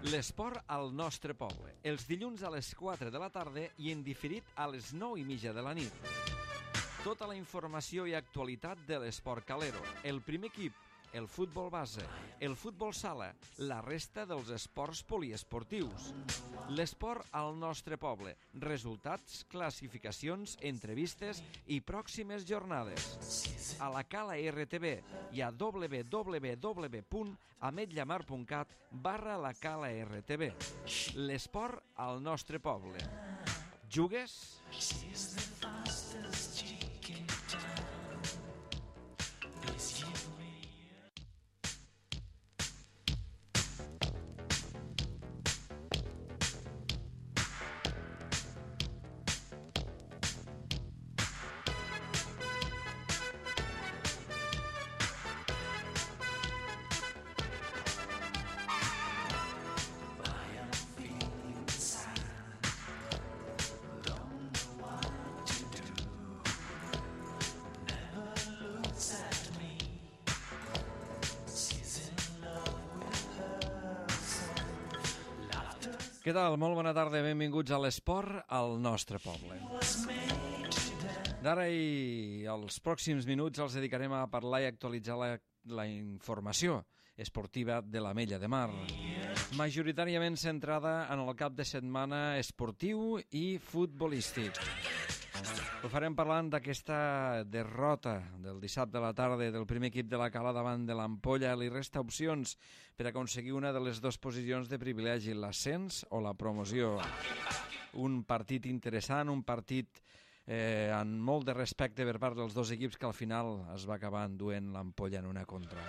L'esport al nostre poble, els dilluns a les 4 de la tarda i en diferit a les 9:30 de la nit. Tota la informació i actualitat de l'esport calero, el primer equip, el futbol base, el futbol sala, la resta dels esports poliesportius. L'esport al nostre poble, resultats, classificacions, entrevistes i pròximes jornades. A la Cala RTV i a www.ametllamar.cat/la Cala RTV. L'esport al nostre poble. Jugues? Què tal? Molt bona tarda, benvinguts a l'esport al nostre poble. D'ara i els pròxims minuts els dedicarem a parlar i actualitzar la informació esportiva de l'Ametlla de Mar, majoritàriament centrada en el cap de setmana esportiu i futbolístic. Ho farem parlant d'aquesta derrota del dissabte a la tarda del primer equip de la Cala davant de l'Ampolla. Li resta opcions per aconseguir una de les dues posicions de privilegi, l'ascens o la promoció. Un partit interessant, un partit amb molt de respecte per part dels dos equips que al final es va acabar enduent l'Ampolla en una contra.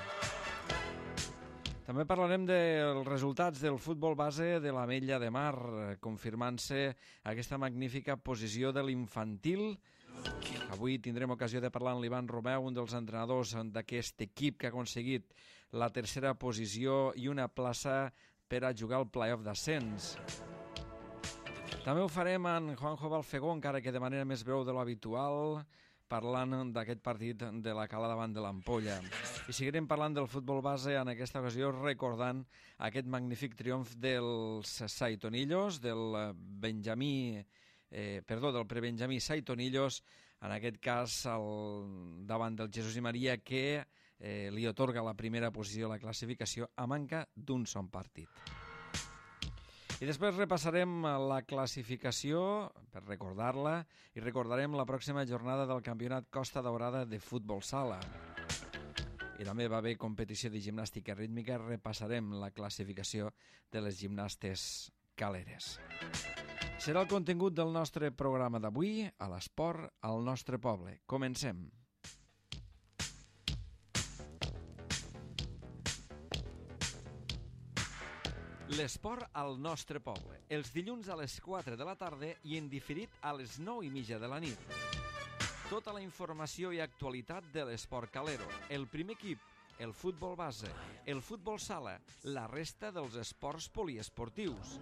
També parlarem dels resultats del futbol base de l'Ametlla de Mar, confirmant-se aquesta magnífica posició de l'infantil. Avui tindrem ocasió de parlar amb l'Ivan Romeu, un dels entrenadors d'aquest equip que ha aconseguit la tercera posició i una plaça per a jugar al play-off d'ascens. També ho farem amb Juanjo Balfegó, encara que de manera més breu de l'habitual, parlant d'aquest partit de la Cala davant de l'Ampolla. I seguirem parlant del futbol base, en aquesta ocasió recordant aquest magnífic triomf dels Saitonillos, del prebenjamí Saitonillos, en aquest cas davant del Jesús i Maria, que li atorga la primera posició a la classificació a manca d'un sol partit. I després repassarem la classificació per recordar-la i recordarem la pròxima jornada del Campionat Costa Daurada de futbol sala. I també va haver competició de gimnàstica rítmica. Repassarem la classificació de les gimnastes caleres. Serà el contingut del nostre programa d'avui a l'esport al nostre poble. Comencem. L'esport al nostre poble, els dilluns a les 4 de la tarda i en diferit a les 9:30 de la nit. Tota la informació i actualitat de l'esport calero, el primer equip, el futbol base, el futbol sala, la resta dels esports poliesportius.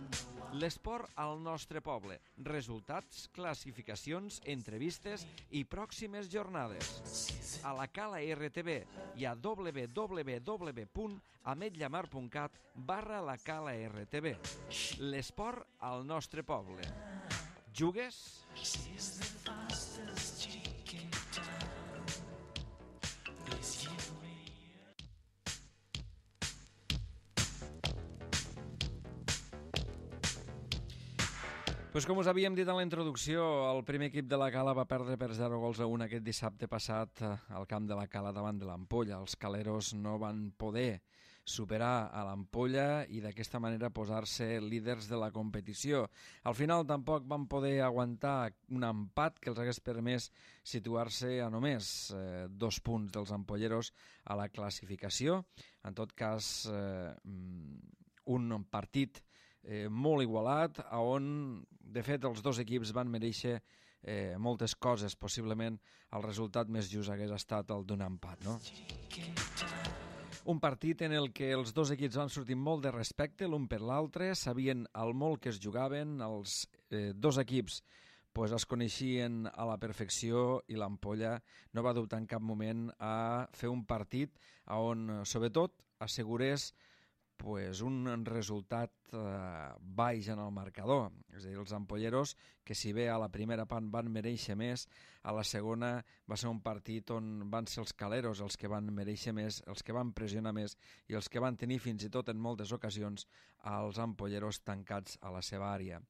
L'esport al nostre poble, resultats, classificacions, entrevistes i pròximes jornades. A la Cala RTV i a www.ametllamar.cat/la Cala RTV. L'esport al nostre poble. Jugues? Pues com us havíem dit en la introducció, el primer equip de la Cala va perdre per 0-1 aquest dissabte passat al camp de la Cala davant de l'Ampolla. Els caleros no van poder superar a l'Ampolla i d'aquesta manera posar-se líders de la competició. Al final tampoc van poder aguantar un empat que els hagués permès situar-se a només 2 punts dels ampolleros a la classificació. En tot cas, un partit molt igualat, on de fet els dos equips van mereixer moltes coses. Possiblement el resultat més just hagués estat el d'un empat, no? Un partit en el que els dos equips van sortir molt de respecte l'un per l'altre, sabien el molt que es jugaven, els dos equips pues es coneixien a la perfecció i l'Ampolla no va dubtar en cap moment a fer un partit on sobretot assegurés pues, un resultat baix en el marcador. És a dir, els ampolleros, que si bé a la primera part van mereixer més, a la segona va ser un partit on van ser els caleros els que van mereixer més, els que van pressionar més i els que van tenir fins i tot en moltes ocasions als ampolleros tancats a la seva àrea.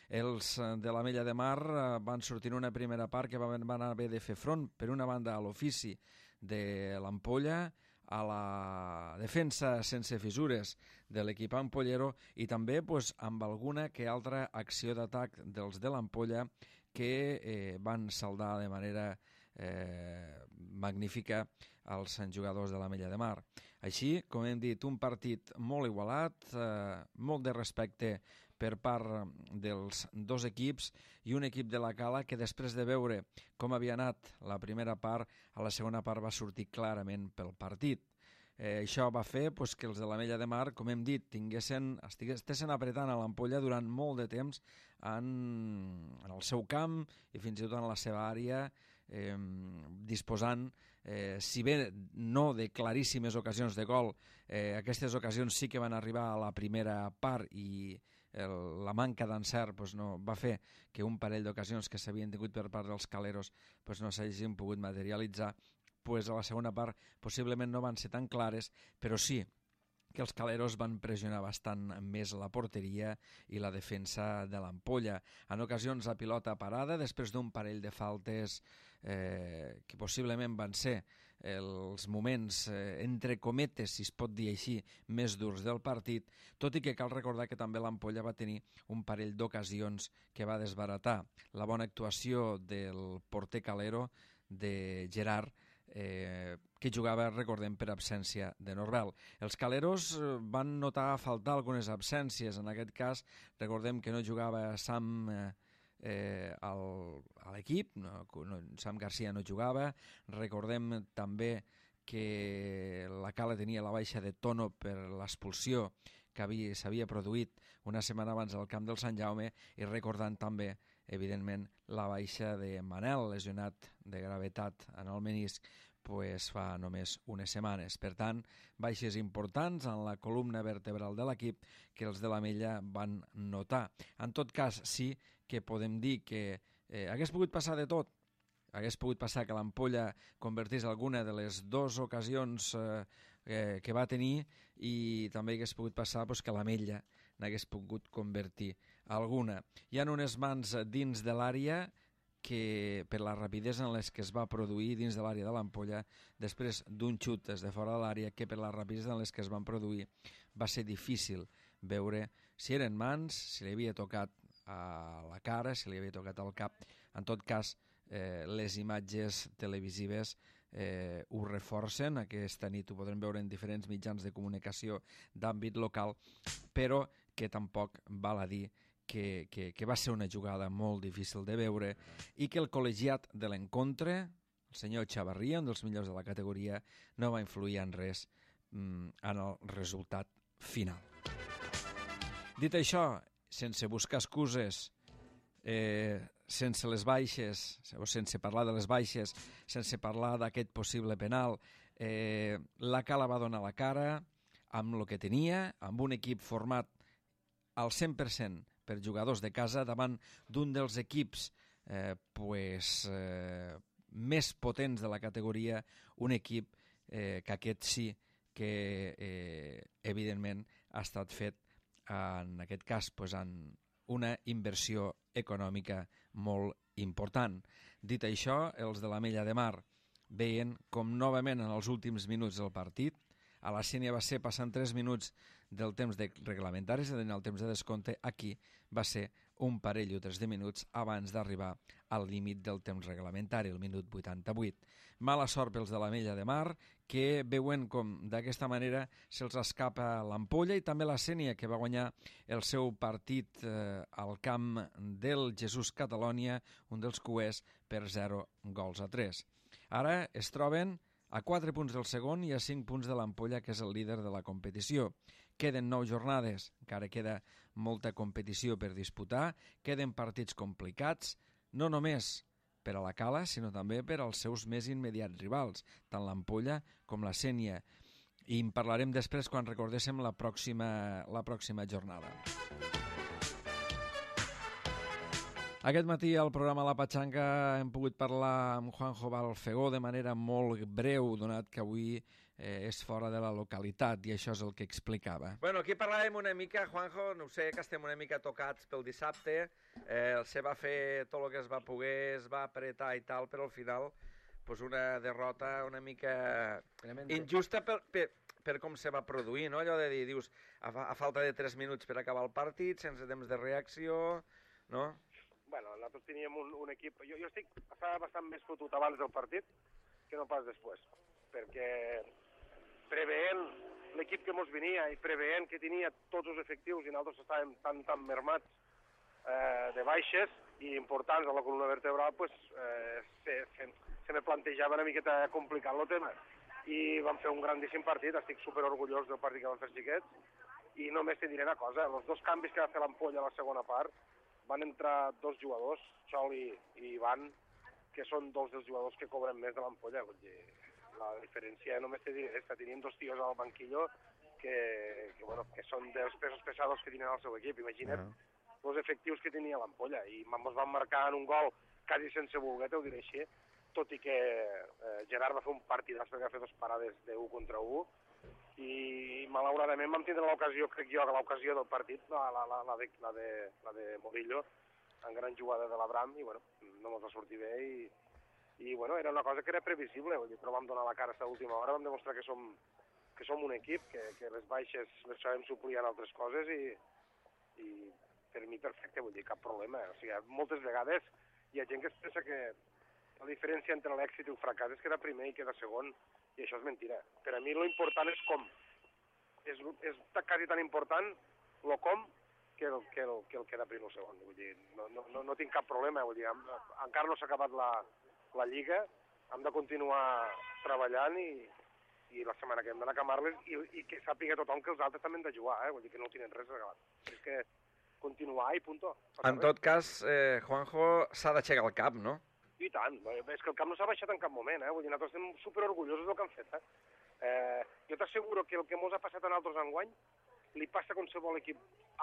Els de l'Ametlla de Mar van sortir en una primera part que van haver de fer front, per una banda, a l'ofici de l'Ampolla, a la defensa sense fissures de l'equip ampollero i també amb alguna que altra acció d'atac dels de l'Ampolla que van saldar de manera magnífica als jugadors de l'Ametlla de Mar. Així, com hem dit, un partit molt igualat, molt de respecte per part dels dos equips i un equip de la Cala que després de veure com havia anat la primera part, a la segona part va sortir clarament pel partit. Això va fer que els de l'Ametlla de Mar, com hem dit, estiguessin apretant a l'Ampolla durant molt de temps en el seu camp i fins i tot en la seva àrea, disposant, si bé no de claríssimes ocasions de gol, aquestes ocasions sí que van arribar a la primera part i la manca d'encert no va fer que un parell d'ocasions que s'havien tingut per part dels caleros no s'hagin pogut materialitzar. A la segona part possiblement no van ser tan clares, però sí que els caleros van pressionar bastant més la porteria i la defensa de l'Ampolla. En ocasions a pilota parada, després d'un parell de faltes que possiblement van ser els moments, entre cometes, si es pot dir així, més durs del partit, tot i que cal recordar que també l'Ampolla va tenir un parell d'ocasions que va desbaratar. La bona actuació del porter calero, de Gerard, que jugava, recordem, per absència de Norbel. Els caleros van notar faltar algunes absències. En aquest cas, recordem que no jugava Sam a l'equip, Sam Garcia no jugava. Recordem també que la Cala tenia la baixa de Tono per l'expulsió que s'havia produït una setmana abans al camp del Sant Jaume, i recordant també, evidentment, la baixa de Manel, lesionat de gravetat en el menisc fa només unes setmanes. Per tant, baixes importants en la columna vertebral de l'equip que els de l'Ametlla van notar. En tot cas, sí que podem dir que hagués pogut passar de tot. Hagués pogut passar que l'Ampolla convertís alguna de les dues ocasions que va tenir, i també hagués pogut passar que l'Ametlla n'hagués pogut convertir alguna. Hi ha unes mans dins de l'àrea que, per la rapidesa en les que es va produir dins de l'àrea de l'Ampolla, després d'un xut des de fora de l'àrea, que per la rapidesa en les que es van produir va ser difícil veure si eren mans, si li havia tocat a la cara, si li havia tocat al cap. En tot cas, les imatges televisives ho reforcen. Aquesta nit ho podrem veure en diferents mitjans de comunicació d'àmbit local, però que tampoc val a dir que va ser una jugada molt difícil de veure i que el col·legiat de l'encontre, el senyor Chavarria, un dels millors de la categoria, no va influir en res en el resultat final. Dit això, sense buscar excuses, sense les baixes, o sense parlar de les baixes, sense parlar d'aquest possible penal, la Cala va donar la cara amb el que tenia, amb un equip format al 100% per jugadors de casa, davant d'un dels equips més potents de la categoria, un equip que aquest sí que evidentment ha estat fet, en aquest cas, en una inversió econòmica molt important. Dit això, els de l'Ametlla de Mar veien com novament en els últims minuts del partit, a la Sénia va ser passant 3 minuts del temps reglamentari, és a dir, el temps de descompte, aquí va ser un parell o 3 de minuts abans d'arribar al límit del temps reglamentari, el minut 88. Mala sort pels de l'Ametlla de Mar, que veuen com d'aquesta manera se'ls escapa l'Ampolla i també la Sénia, que va guanyar el seu partit al camp del Jesús Catalònia, un dels cuers, per 0-3. Ara es troben a 4 punts del segon i a 5 punts de l'Ampolla, que és el líder de la competició. Queden 9 jornades, encara queda molta competició per disputar, queden partits complicats, no només per a la Cala, sinó també per als seus més immediats rivals, tant l'Ampolla com la Sénia. I en parlarem després quan recordéssim la pròxima jornada. Aquest matí al programa La Patxanga hem pogut parlar amb Juanjo Balfegó de manera molt breu, donat que avui és fora de la localitat, i això és el que explicava. Bueno, aquí parlàvem una mica, Juanjo, no sé, que estem una mica tocats pel dissabte, se va fer tot el que es va poder, es va apretar i tal, però al final pues una derrota una mica injusta per com se va produir, no? Allò de dir, dius, a falta de 3 minuts per acabar el partit, sense temps de reacció, no? Bueno, nosaltres teníem un equip... Jo estava bastant més fotut abans del partit que no pas després, perquè preveient l'equip que mos venia i preveient que tenia tots els efectius i nosaltres estàvem tan mermats de baixes i importants a la columna vertebral, pues, se me plantejava una miqueta complicat el tema. I vam fer un grandíssim partit, estic superorgullós del partit que vam fer els xiquets, i només te diré una cosa, els 2 canvis que va fer l'Ampolla a la segona part, van entrar 2 jugadors, Xoli i Ivan, que són 2 dels jugadors que cobren més de l'Ampolla. Vull dir, la diferència només te diré, tenim 2 tios al banquillo que són dels pesos pesados que tenen al seu equip. Imagina't els efectius que tenia l'Ampolla. I ens van marcar en un gol quasi sense voler, t'ho diré així, tot i que Gerard va fer un partidàs perquè va fer 2 parades de 1 contra 1, i malauradament vam tindre l'ocasió, crec jo, l'ocasió del partit, la de Morillo, en gran jugada de l'Abram, i bueno, no ens va sortir bé, i bueno, era una cosa que era previsible, però vam donar la cara a l'última hora, vam demostrar que som un equip, que les baixes les sabem suplir en altres coses, i per mi perfecte, vull dir, cap problema. O sigui, moltes vegades hi ha gent que es pensa que la diferència entre l'èxit i el fracàs és quedar primer i quedar segon, i això és mentira. Per a mi l'important és com. És quasi tan important el com que el quedar primer o segon. Vull dir, no tinc cap problema. Vull dir, encara no s'ha acabat la Lliga, hem de continuar treballant i la setmana que hem d'anar a Camarles i que sàpiga tothom que els altres també han de jugar, vull dir que no tenen res regalat. És que continuar i punto. En tot cas, Juanjo, s'ha d'aixecar el cap, no? I tant, és que el camp no s'ha baixat en cap moment, vull dir, nosaltres estem superorgullosos del que han fet, Jo t'asseguro que el que mos ha passat a nosaltres enguany li passa a qualsevol equip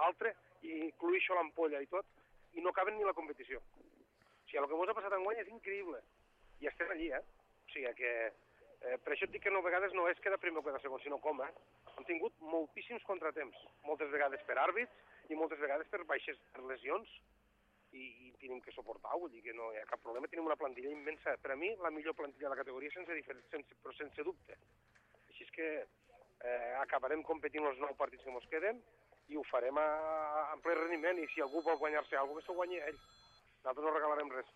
altre, i incluïxo l'Ampolla i tot, i no caben ni la competició. O sigui, el que mos ha passat enguany és increïble, i estem allí, O sigui que, per això et dic que no, a vegades no és quedar primer o quedar segon, sinó com, Hem tingut moltíssims contratemps, moltes vegades per àrbits i moltes vegades per baixes, per lesions, i tenim que suportar, vull dir que no hi ha cap problema, tenim una plantilla immensa. Per a mi, la millor plantilla de la categoria, però sense dubte. Així és que acabarem competint els 9 partits que ens queden i ho farem en ple rendiment, i si algú vol guanyar-se alguna cosa, que s'ho guanyi ell. Nosaltres no regalarem res.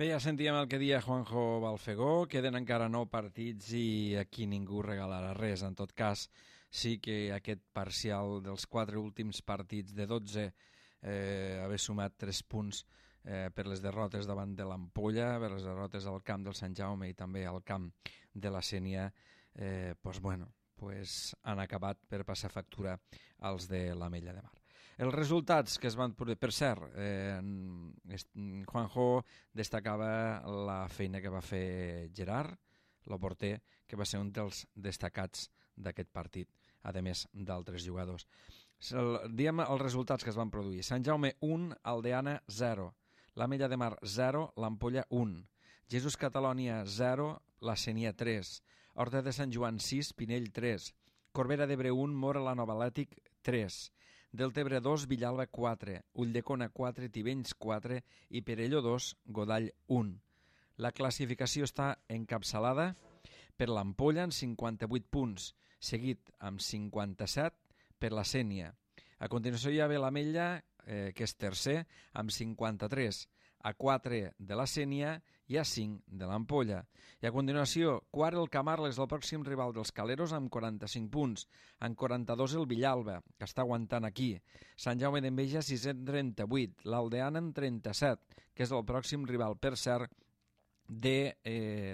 Bé, ja sentíem el que deia Juanjo Balfegó, queden encara 9 partits i aquí ningú regalarà res. En tot cas, sí que aquest parcial dels 4 últims partits de 12 haver sumat 3 punts per les derrotes davant de l'Ampolla, per les derrotes al camp del Sant Jaume i també al camp de la Sénia, han acabat per passar factura als de l'Ametlla de Mar. Els resultats que es van... Per cert, Juanjo destacava la feina que va fer Gerard, el porter, que va ser un dels destacats d'aquest partit, a més d'altres jugadors. Diem els resultats que es van produir. Sant Jaume 1, Aldeana 0, l'Ametlla de Mar 0, l'Ampolla 1, Jesús Catalònia 0, la Sénia 3, Horta de Sant Joan 6, Pinell 3, Corbera d'Ebre 1, Mora la Nova Atlètic 3, Deltebre 2, Villalba 4, Ulldecona 4, Tivenys 4 i Perelló 2, Godall 1. La classificació està encapçalada per l'Ampolla amb 58 punts, seguit amb 57 per la Sénia. A continuació hi ha l'Ametlla, que és tercer, amb 53, a 4 de la Sénia i a 5 de l'Ampolla. I a continuació, quart el Camarles, el pròxim rival dels Caleros, amb 45 punts. En 42 el Villalba, que està aguantant aquí. Sant Jaume d'Enveja, 638. L'Aldeana en 37, que és el pròxim rival, per cert, de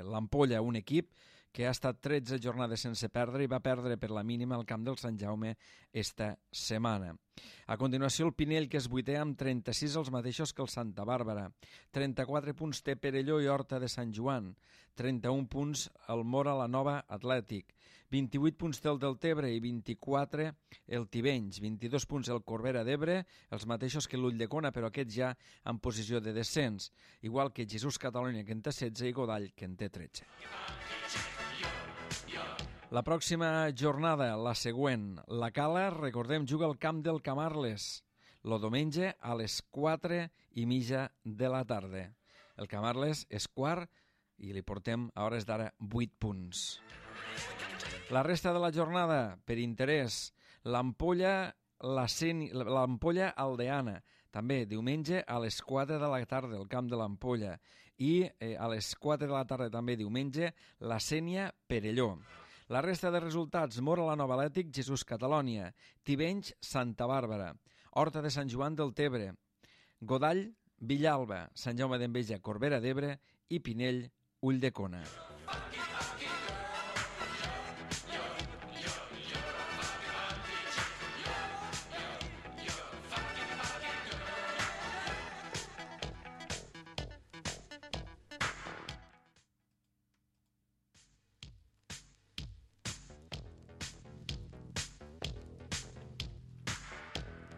l'Ampolla, un equip que ha estat 13 jornades sense perdre i va perdre per la mínima al camp del Sant Jaume esta setmana. A continuació el Pinell, que és vuitè amb 36, els mateixos que el Santa Bàrbara. 34 punts té Perelló i Horta de Sant Joan. 31 punts el Mora la Nova Atlètic. 28 punts té el Deltebre i 24 el Tivenys. 22 punts el Corbera d'Ebre, els mateixos que l'Ulldecona, però aquests ja en posició de descens. Igual que Jesús Catalunya, que en té 16, i Godall, que en té 13. La pròxima jornada, la següent, la Cala, recordem, juga al camp del Camarles, el diumenge a les 4:30 de la tarda. El Camarles és quart i li portem a hores d'ara 8 punts. La resta de la jornada, per interès, l'Ampolla Aldeana, també diumenge a les 4 de la tarda, al camp de l'Ampolla, i a les 4 de la tarda també diumenge, la Sénia Perelló. La resta de resultats, Mora la Nova Atlètic, Jesús Catalònia, Tivenys, Santa Bàrbara, Horta de Sant Joan del Tebre, Godall, Villalba, Sant Jaume d'Enveja, Corbera d'Ebre i Pinell, Ulldecona.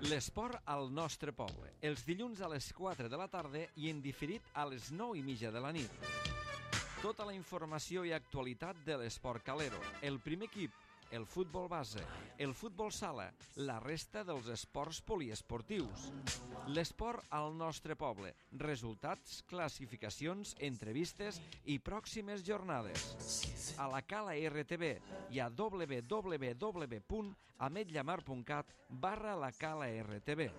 L'esport al nostre poble, els dilluns a les 4 de la tarda i en diferit a les 9:30 de la nit. Tota la informació i actualitat de l'esport calero, el primer equip, el futbol base, el futbol sala, la resta dels esports poliesportius. L'esport al nostre poble, resultats, classificacions, entrevistes i pròximes jornades. A la Cala RTV i a www.ametllamar.cat/la Cala RTV.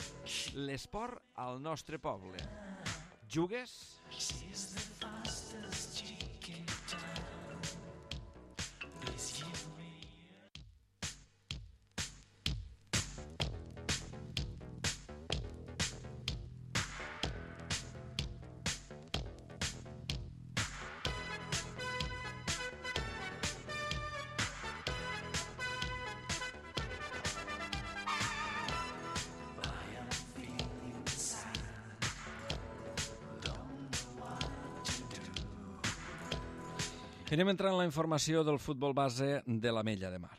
L'esport al nostre poble. Jugues? Anem entrant en la informació del futbol base de l'Ametlla de Mar.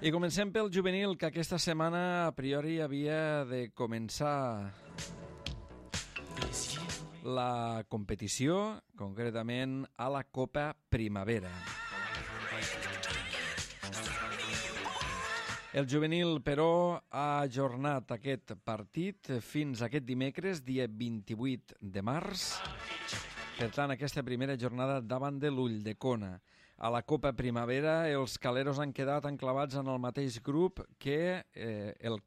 I comencem pel juvenil, que aquesta setmana a priori havia de començar la competició, concretament a la Copa Primavera. El juvenil, però, ha ajornat aquest partit fins aquest dimecres, dia 28 de març. Per tant, aquesta primera jornada davant de l'Ulldecona. A la Copa Primavera, els caleros han quedat enclavats en el mateix grup que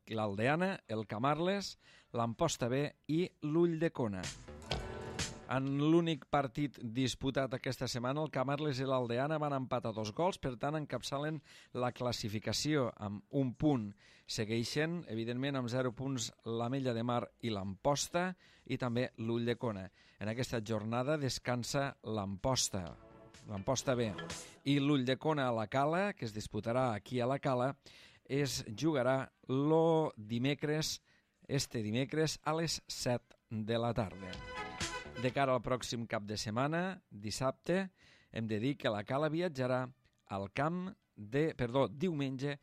l'Aldeana, el Camarles, l'Amposta B i l'Ulldecona. En l'únic partit disputat aquesta setmana, el Camarles i l'Aldeana van empatar 2 gols, per tant encapçalen la classificació amb 1 punt. Segueixen, evidentment, amb 0 punts l'Ametlla de Mar i l'Amposta i també l'Ulldecona. En aquesta jornada descansa l'Amposta B. I l'Ulldecona a la Cala, que es disputarà aquí a la Cala, es jugarà este dimecres a les 7 de la tarda. De cara al pròxim cap de setmana, dissabte, hem de dir que la Cala viatjarà al camp diumenge,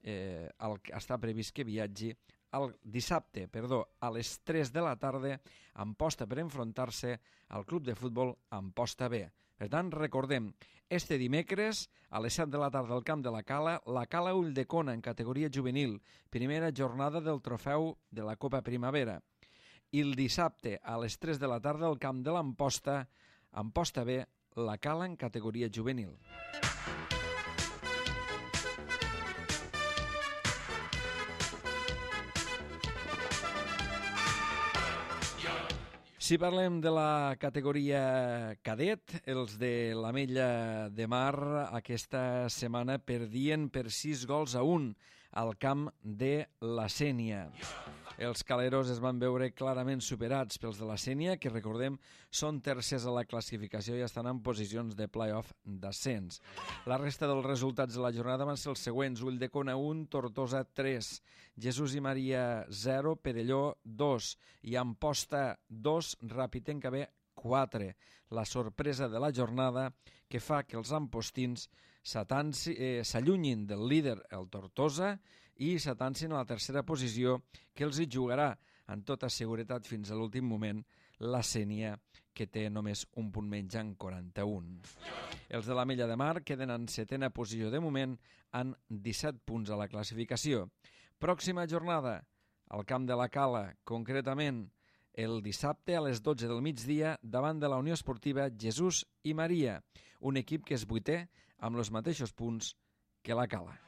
està previst que viatgi el dissabte, a les 3 de la tarda, a Amposta per enfrontar-se al club de futbol Amposta B. Per tant, recordem, este dimecres, a les 7 de la tarda al camp de la Cala Ulldecona en categoria juvenil, primera jornada del trofeu de la Copa Primavera. I el dissabte a les 3 de la tarda al camp de l'Amposta, Amposta B, la Cala en categoria juvenil. Si parlem de la categoria cadet, els de l'Ametlla de Mar aquesta setmana perdien per 6-1 al camp de la Sénia. Els caleros es van veure clarament superats pels de la Sénia, que recordem són tercers a la classificació i estan en posicions de play-off d'ascens. La resta dels resultats de la jornada van ser els següents: Ulldecona 1, Tortosa 3, Jesús i Maria 0, Perelló 2 i Amposta 2, Ràpid en 4. La sorpresa de la jornada que fa que els ampostins s'allunyin del líder, el Tortosa, i s'atancin a la tercera posició, que els hi jugarà en tota seguretat fins a l'últim moment la Sénia, que té només un punt menys en 41. Els de l'Ametlla de Mar queden en setena posició de moment amb 17 punts a la classificació. Pròxima jornada, al camp de la Cala, concretament el dissabte a les 12 del migdia davant de la Unió Esportiva Jesús i Maria, un equip que és vuitè amb els mateixos punts que la Cala.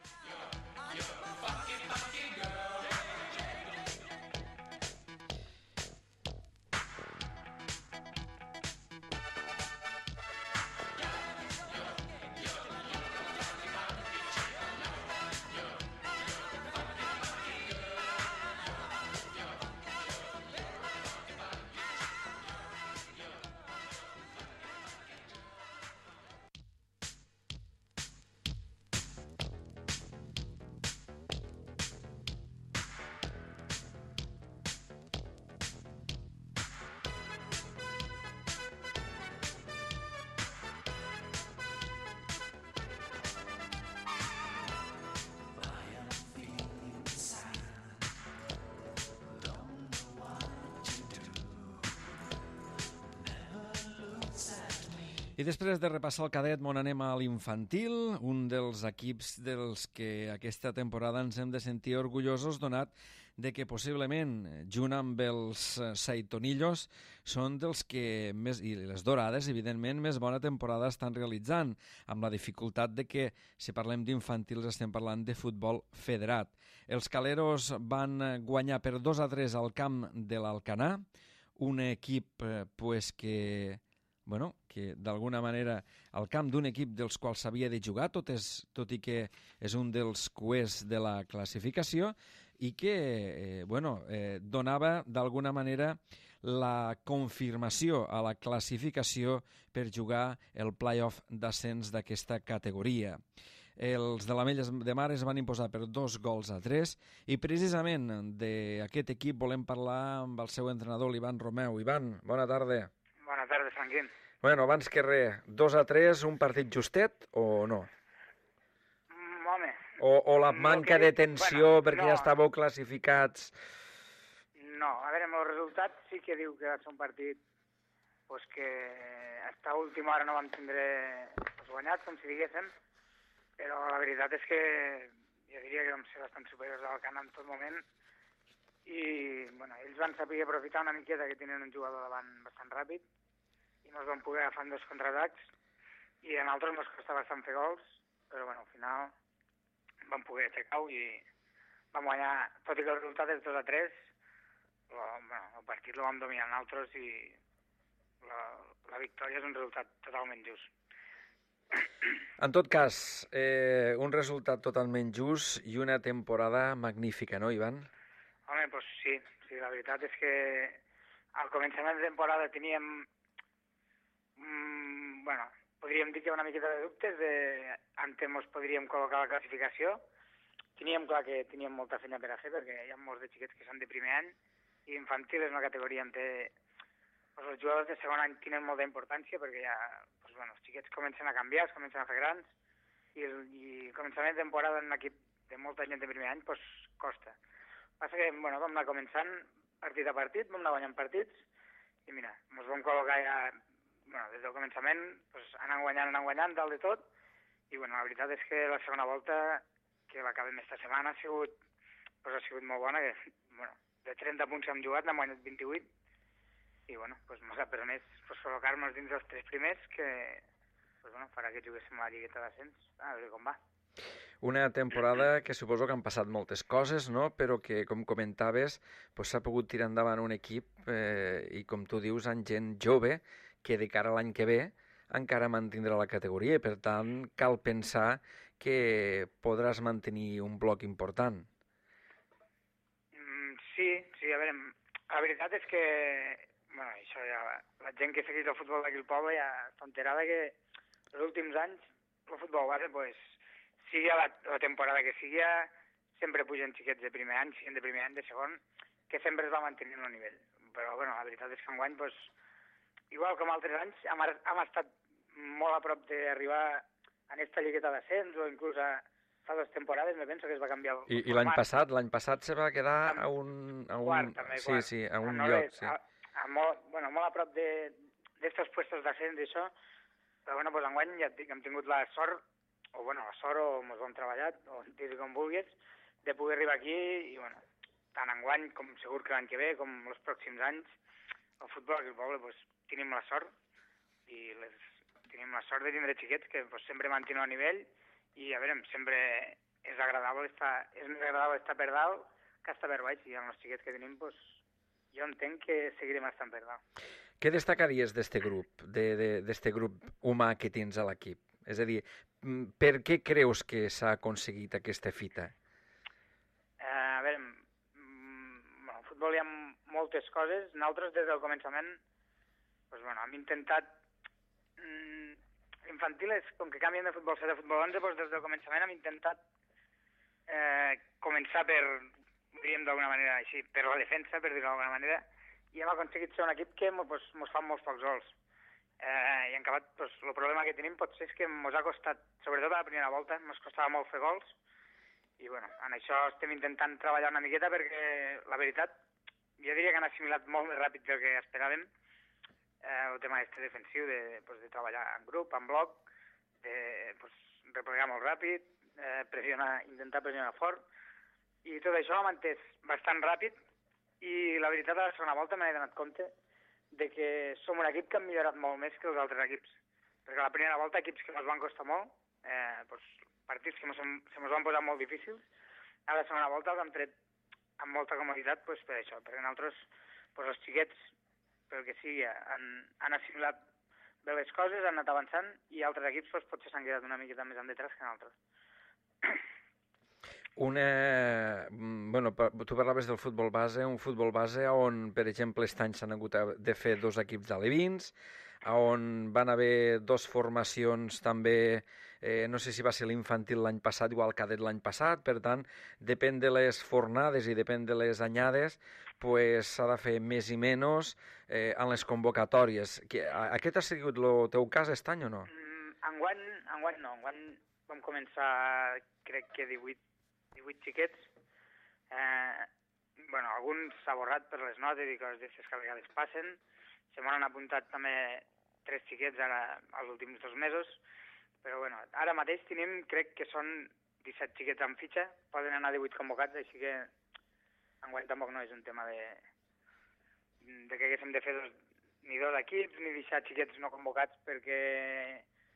I després de repassar el cadet, anem a l'infantil, un dels equips dels que aquesta temporada ens hem de sentir orgullosos, donat de que possiblement, junt amb els Saitonillos, són dels que més, i les Dorades, evidentment, més bona temporada estan realitzant, amb la dificultat de que, si parlem d'infantils, estem parlant de futbol federat. Els caleros van guanyar per 2-3 al camp de l'Alcanar, un equip que d'alguna manera al camp d'un equip dels quals s'havia de jugar, tot i que és un dels cuers de la classificació, i que donava d'alguna manera la confirmació a la classificació per jugar el play-off d'ascens d'aquesta categoria. Els de l'Ametlla de Mar es van imposar per 2-3 i precisament d'aquest equip volem parlar amb el seu entrenador, l'Ivan Romeu. Ivan, bona tarda. Bona tarda, Franquín. Bueno, abans que res, 2-3, un partit justet o no? Home... O la manca de tensió perquè ja estàveu classificats? No, a veure, el resultat sí que diu que va ser un partit que hasta última hora no vam tindre guanyat, com si diguéssim, però la veritat és que jo diria que vam ser bastant superiors al Camp en tot moment i ells van saber aprofitar una miqueta que tenien un jugador davant bastant ràpid i no es van poder agafar en dos contraatacs i a nosaltres ens costa bastant fer gols, però al final vam poder aixecar-ho i vam guanyar, tot i que el resultat és 2-3, el partit el vam dominar nosaltres i la victòria és un resultat totalment just. En tot cas, un resultat totalment just i una temporada magnífica, no, Ivan? Home, doncs sí, la veritat és que al començament de temporada teníem, podríem dir que una miqueta de dubtes on ens podríem col·locar la classificació. Teníem clar que teníem molta feina per a fer perquè hi ha molts de xiquets que són de primer any i infantil és una categoria on els jugadors de segon any tenen molta importància perquè ja els xiquets comencen a canviar, es comencen a fer grans i el començament de temporada en un equip de molta gent de primer any costa. Passa que vam anar començant partit a partit, vam anar guanyant partits i mira, ens vam col·locar ja des del començament, anant guanyant dalt de tot i la veritat és que la segona volta que l'acabem esta setmana ha sigut molt bona, que de 30 punts que hem jugat n'hem guanyat 28 i ens ha permès col·locar-nos dins dels 3 primers que farà que juguéssim a la lligueta d'ascens, a veure com va. Una temporada que suposo que han passat moltes coses, no? Però que, com comentaves, pues, s'ha pogut tirar endavant un equip i, com tu dius, amb gent jove que de cara a l'any que ve encara mantindrà la categoria i, per tant, cal pensar que podràs mantenir un bloc important. Sí, a veure, la veritat és que, bueno, això ja, la gent que segueix el futbol d'aquí al poble ja està enterada que els últims anys el futbol base, pues, sigui la temporada que sigui, sempre pugen xiquets de primer any, siguin de primer any, de segon, que sempre es va mantenint el nivell. Però, bueno, la veritat és que enguany, pues, igual com altres anys, hem estat molt a prop d'arribar a aquesta lligueta d'ascens o inclús fa 2 temporades, me penso que es va canviar el I l'any passat se va quedar a un... Quart, també, quart. Sí, a un lloc, sí. Molt a prop d'estos puestos d'ascens i això, però bueno, pues enguany ja et dic, hem tingut la sort o mos ho hem treballat, o dir com vulguis, de poder arribar aquí i, bueno, tant enguany com segur que l'any que ve, com els pròxims anys, el futbol aquí al poble, pues, tenim la sort i tenim la sort de tindre xiquets que pues, sempre mantenen el nivell i, a veure, sempre és més agradable estar per dalt que estar per baix, i amb els xiquets que tenim, pues, jo entenc que seguirem estant per dalt. Què destacaries d'este grup, d'este grup humà que tens a l'equip? És a dir, per què creus que s'ha aconseguit aquesta fita? A veure, al futbol hi ha moltes coses. Nosaltres, des del començament, pues, bueno, hem intentat... Infantil és, com que canvien de futbol 7 a futbol 11, doncs des del començament hem intentat començar diríem d'alguna manera així, per la defensa, per dir-ho d'alguna manera, i hem aconseguit ser un equip que mos fan molts pocs gols. I en acabat, el problema que tenim potser és que mos ha costat, sobretot a la primera volta, mos costava molt fer gols, i bueno, en això estem intentant treballar una miqueta perquè, la veritat, jo diria que han assimilat molt més ràpid del que esperàvem el tema defensiu, de treballar en grup, en bloc, de replegar molt ràpid, intentar pressionar fort, i tot això l'hem entès bastant ràpid, i la veritat, a la segona volta m'he donat compte de que som un equip que hem millorat molt més que els altres equips, perquè a la primera volta equips que ens van costar molt, partits que se mos van posar molt difícils, a la segona volta els hem tret amb molta comoditat per això, perquè nosaltres, els xiquets, pel que sigui, han assimilat bé les coses, han anat avançant, i altres equips potser s'han quedat una miqueta més en detrás que nosaltres. Bueno, tu parlaves del futbol base, un futbol base on, per exemple, aquest any s'han hagut de fer 2 equips d'alevins, on van haver 2 formacions també, no sé si va ser l'infantil l'any passat, igual cadet l'any passat, per tant, depèn de les fornades i depèn de les anyades, s'ha de fer més i menys en les convocatòries. Aquest ha sigut el teu cas aquest any o no? Enguany no, enguany vam començar, crec que 18 xiquets. Alguns s'ha borrat per les notes i coses d'aquestes que a vegades passen. Se m'han apuntat també 3 xiquets ara els últims 2 mesos, però ara mateix tenim, crec que són 17 xiquets en fitxa, poden anar 18 convocats, així que enguany tampoc no és un tema de que haguéssim de fer ni 2 equips ni deixar xiquets no convocats perquè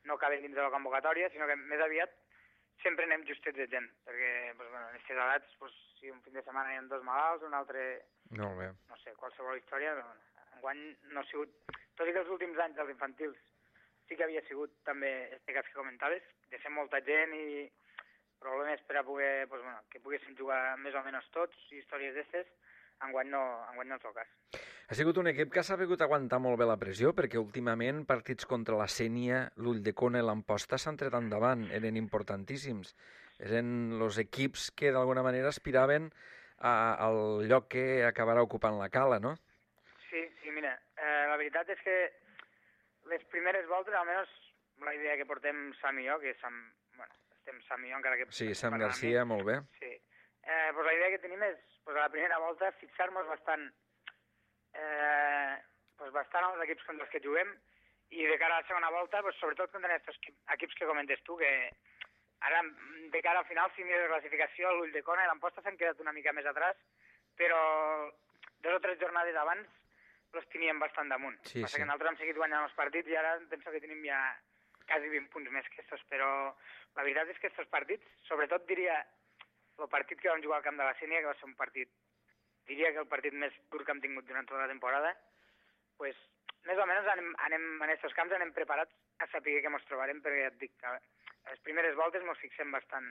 no caben dins de la convocatòria, sinó que més aviat sempre anem justets de gent, perquè en aquestes edats, si un fin de setmana hi ha 2 malalts, un altre, no sé, qualsevol història, enguany no ha sigut, tot i que els últims anys dels infantils sí que havia sigut també este cas que comentaves, de ser molta gent i problemes per a poder, que poguessin jugar més o menys tots, i històries d'estes, enguany no és el cas. Ha sigut un equip que ha sabut aguantar molt bé la pressió, perquè últimament partits contra la Sénia, l'Ulldecona i l'Amposta s'han tret endavant, eren importantíssims. Eren els equips que d'alguna manera aspiraven al lloc que acabarà ocupant la Cala, no? Sí, mira, la veritat és que les primeres voltes, almenys la idea que portem Sam i jo, que estem Sam i jo encara que... Sí, Sam Garcia, molt bé. Sí, la idea que tenim és, a la primera volta, fixar-nos bastant als equips contra els que juguem, i de cara a la segona volta, sobretot contra aquests equips que comentes tu, que ara, de cara al final, si mires la classificació, l'Ulldecona i l'Amposta s'han quedat una mica més atràs, però 2 o 3 jornades abans els teníem bastant damunt. Passa que nosaltres hem seguit guanyant els partits i ara penso que tenim ja quasi 20 punts més que estos, però la veritat és que aquests partits, sobretot diria el partit que vam jugar al camp de la Sénia, que va ser un partit, diria que el partit més dur que hem tingut durant tota la temporada, pues, més o menys en aquests camps anem preparats a saber què ens trobarem, perquè ja et dic, a les primeres voltes ens fixem bastant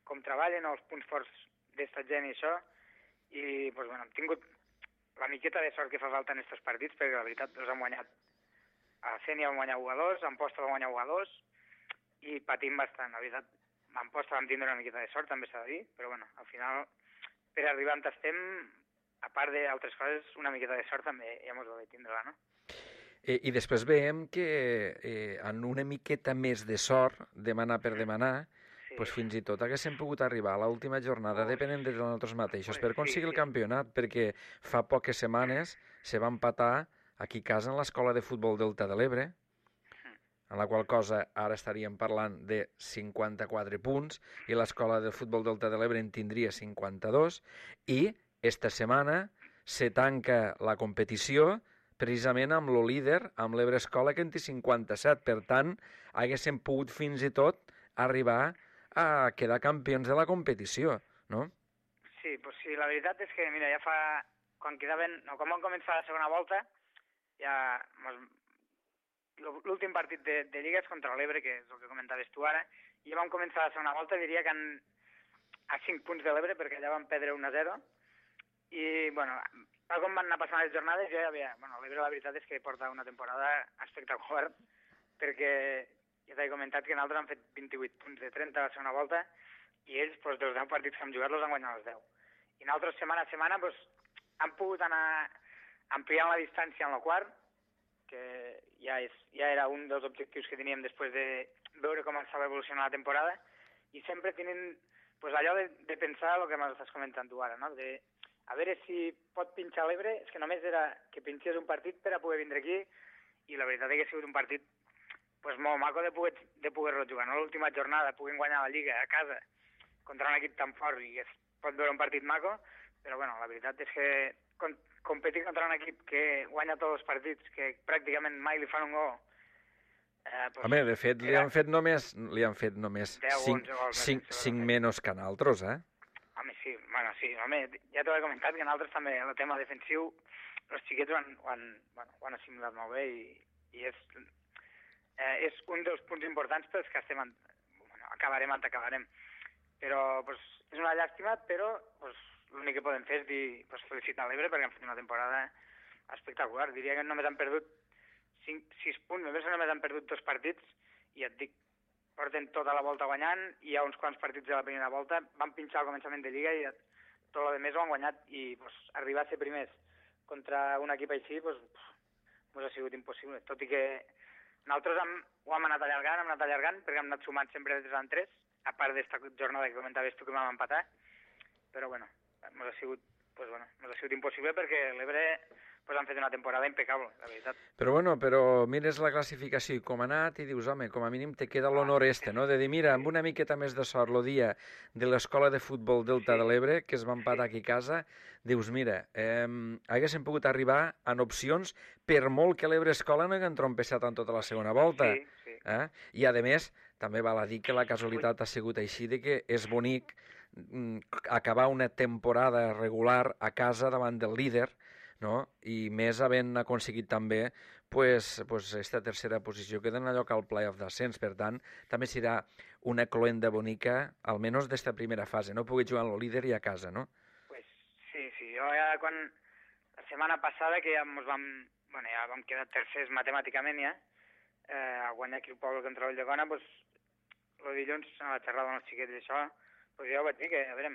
com treballen, els punts forts d'esta gent i això, i pues, bueno, hem tingut la miqueta de sort que fa falta en aquests partits, perquè la veritat els hem guanyat. A Sénia vam guanyar 1-2, a Amposta vam guanyar 1-2, i patim bastant, la veritat. A Amposta vam tindre una miqueta de sort, també s'ha de dir, però bueno, al final, per arribar on estem, a part d'altres coses, una miqueta de sort també ja mos va bé tindre-la, no? I després veiem que en una miqueta més de sort, demanar per demanar, pues fins i tot haguéssim pogut arribar a l'última jornada depenent de nosaltres mateixos per aconseguir el campionat, perquè fa poques setmanes se va empatar aquí a casa en l'Escola de Futbol Delta de l'Ebre, en la qual cosa ara estaríem parlant de 54 punts i l'Escola de Futbol Delta de l'Ebre en tindria 52, i esta setmana se tanca la competició precisament amb el líder, amb l'Ebre Escola, que en té 57. Per tant, haguéssim pogut fins i tot arribar a quedar campions de la competició, no? Sí, pues sí, la veritat és que, mira, ja fa... Quan quedaven... No, quan vam començar la segona volta, ja... L'últim partit de Lliga és contra l'Ebre, que és el que comentaves tu ara, i ja vam començar la segona volta, diria que a 5 punts de l'Ebre, perquè allà vam perdre 1-0, i, bueno, tal com van anar passant les jornades, jo ja havia... Bueno, l'Ebre la veritat és que porta una temporada espectacular, perquè ja t'he comentat que nosaltres han fet 28 punts de 30 a la segona volta, i ells, doncs, dels 10 partits que han jugat, els han guanyat els 10. I nosaltres, setmana a setmana, doncs, han pogut anar ampliant la distància en el quart, que ja era un dels objectius que teníem després de veure com estava evolucionant la temporada, i sempre tenint pues, allò de pensar el que m'estàs comentant tu ara, no? De a veure si pot pinxar l'Ebre, és que només era que pinxés un partit per a poder vindre aquí, i la veritat és que ha sigut un partit pues, molt maco de poder-lo jugar. No? L'última jornada puguem guanyar la Lliga a casa contra un equip tan fort i es pot veure un partit maco, però bueno, la veritat és que competir contra un equip que guanya tots els partits, que pràcticament mai li fan un gol... Pues, home, de fet, li han fet només 5 menys que nosaltres, eh? Home, sí, bueno, sí, home, ja t'ho he comentat que nosaltres també el tema defensiu, els xiquets ho han assimilat molt bé i és un dels punts importants pels que estem acabarem on acabarem. Però pues, és una llàstima, però pues, l'únic que podem fer és dir, pues, felicitar l'Ebre perquè han fet una temporada espectacular. Diria que només han perdut 6 punts, només han perdut 2 partits i et dic, porten tota la volta guanyant, i hi ha uns quants partits de la primera volta, van pinxar al començament de Lliga i tot el més ho han guanyat, i pues, arribar a ser primers contra un equip així pues, ha sigut impossible, tot i que nosaltres ho hem anat allargant perquè hem anat sumant sempre de 3 en 3, a part d'esta jornada que comentaves tu que vam empatar, però bueno, ens ha sigut impossible perquè l'Ebre pues han fet una temporada impecable, la veritat. Però mires la classificació i com ha anat i dius, home, com a mínim te queda l'honor no? De dir, mira, amb una miqueta més de sort el dia de l'Escola de Futbol Delta de l'Ebre, que es va empatar aquí a casa, dius, mira, haguéssim pogut arribar en opcions per molt que l'Ebre Escola no hagués trompejat en tota la segona volta. Sí. I, a més, també val a dir que la casualitat ha sigut així de que és bonic acabar una temporada regular a casa davant del líder, no? I més havent aconseguit també esta tercera posició que dona lloc al play-off d'ascens. Per tant, també serà una cloenda bonica, almenys d'esta primera fase, no? Poder jugar amb el líder i a casa, no? Pues sí. Jo ja quan... La setmana passada que ja vam quedar tercers matemàticament ja, a guanyar aquí el poble contra el Llegona, pues, el dilluns a la xerrada amb els xiquets i això, pues jo vaig dir que, a veure,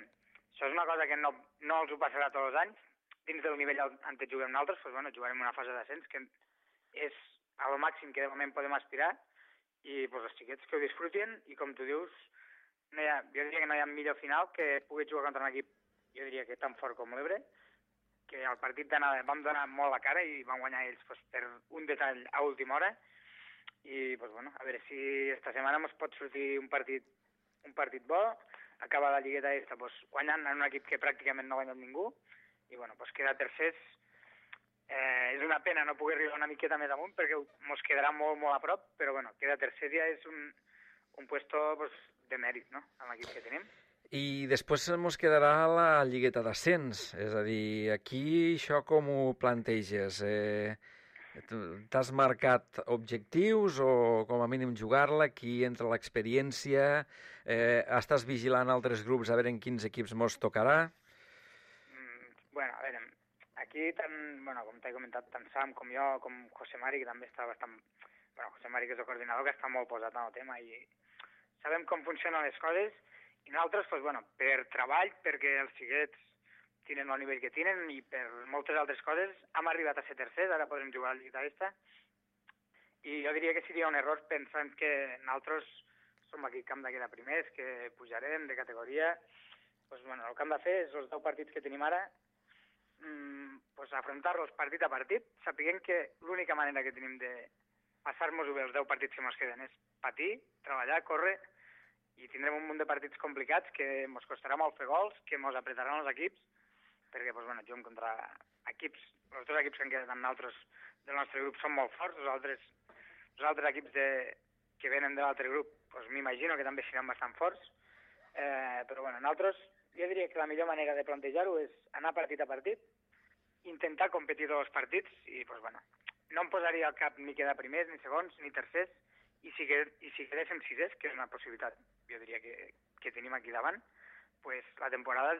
això és una cosa que no els ho passarà tots els anys, dins del nivell on juguem nosaltres, doncs, bueno, jugarem una fase d'ascens que és al màxim que de moment podem aspirar, i doncs, els xiquets que ho disfrutin, i com tu dius, jo diria que no hi ha millor final que pugui jugar contra un equip, jo diria que tan fort com l'Ebre, que al partit d'anada vam donar molt la cara i vam guanyar ells doncs, per un detall a última hora, i doncs, bueno, a veure si esta setmana ens pot sortir un partit bo, acabar la lligueta doncs, guanyant en un equip que pràcticament no ha guanyat ningú, i bueno, pues quedar tercers. És una pena no poder arribar una miqueta més amunt perquè ens quedarà molt, molt a prop, però bueno, quedar tercers ja és un puesto pues, de mèrit, no?, amb l'equip que tenim. I després ens quedarà la lligueta d'ascens, és a dir, aquí això com ho planteges? T'has marcat objectius o com a mínim jugar-la? Aquí entra l'experiència? Estàs vigilant altres grups a veure en quins equips mos tocarà? Bueno, a veure, aquí, com t'he comentat, tant Sam com jo, com José Mari, que també està bastant... Bueno, José Mari, que és el coordinador, que està molt posat en el tema i sabem com funcionen les coses. I nosaltres, per treball, perquè els xiquets tenen el nivell que tenen i per moltes altres coses, hem arribat a ser tercers, ara podem jugar a la Lliga d'Esta. I jo diria que seria un error pensant que nosaltres som aquí camp de quedar primers, que pujarem de categoria. El que hem de fer és els 10 partits que tenim ara, afrontar-los partit a partit, sapiguem que l'única manera que tenim de passar-nos-ho bé els 10 partits que ens queden és patir, treballar, córrer, i tindrem un munt de partits complicats que ens costarà molt fer gols, que ens apretaran els equips, perquè juguem contra equips, els 2 equips que han quedat amb nosaltres del nostre grup són molt forts, els altres equips que venen de l'altre grup m'imagino que també seran bastant forts, però nosaltres jo diria que la millor manera de plantejar-ho és anar partit a partit, intentar competir tots els partits i no em posaria al cap ni quedar primers, ni segons, ni tercers, i si quedéssim sisers, que és una possibilitat, jo diria que tenim aquí davant, la temporada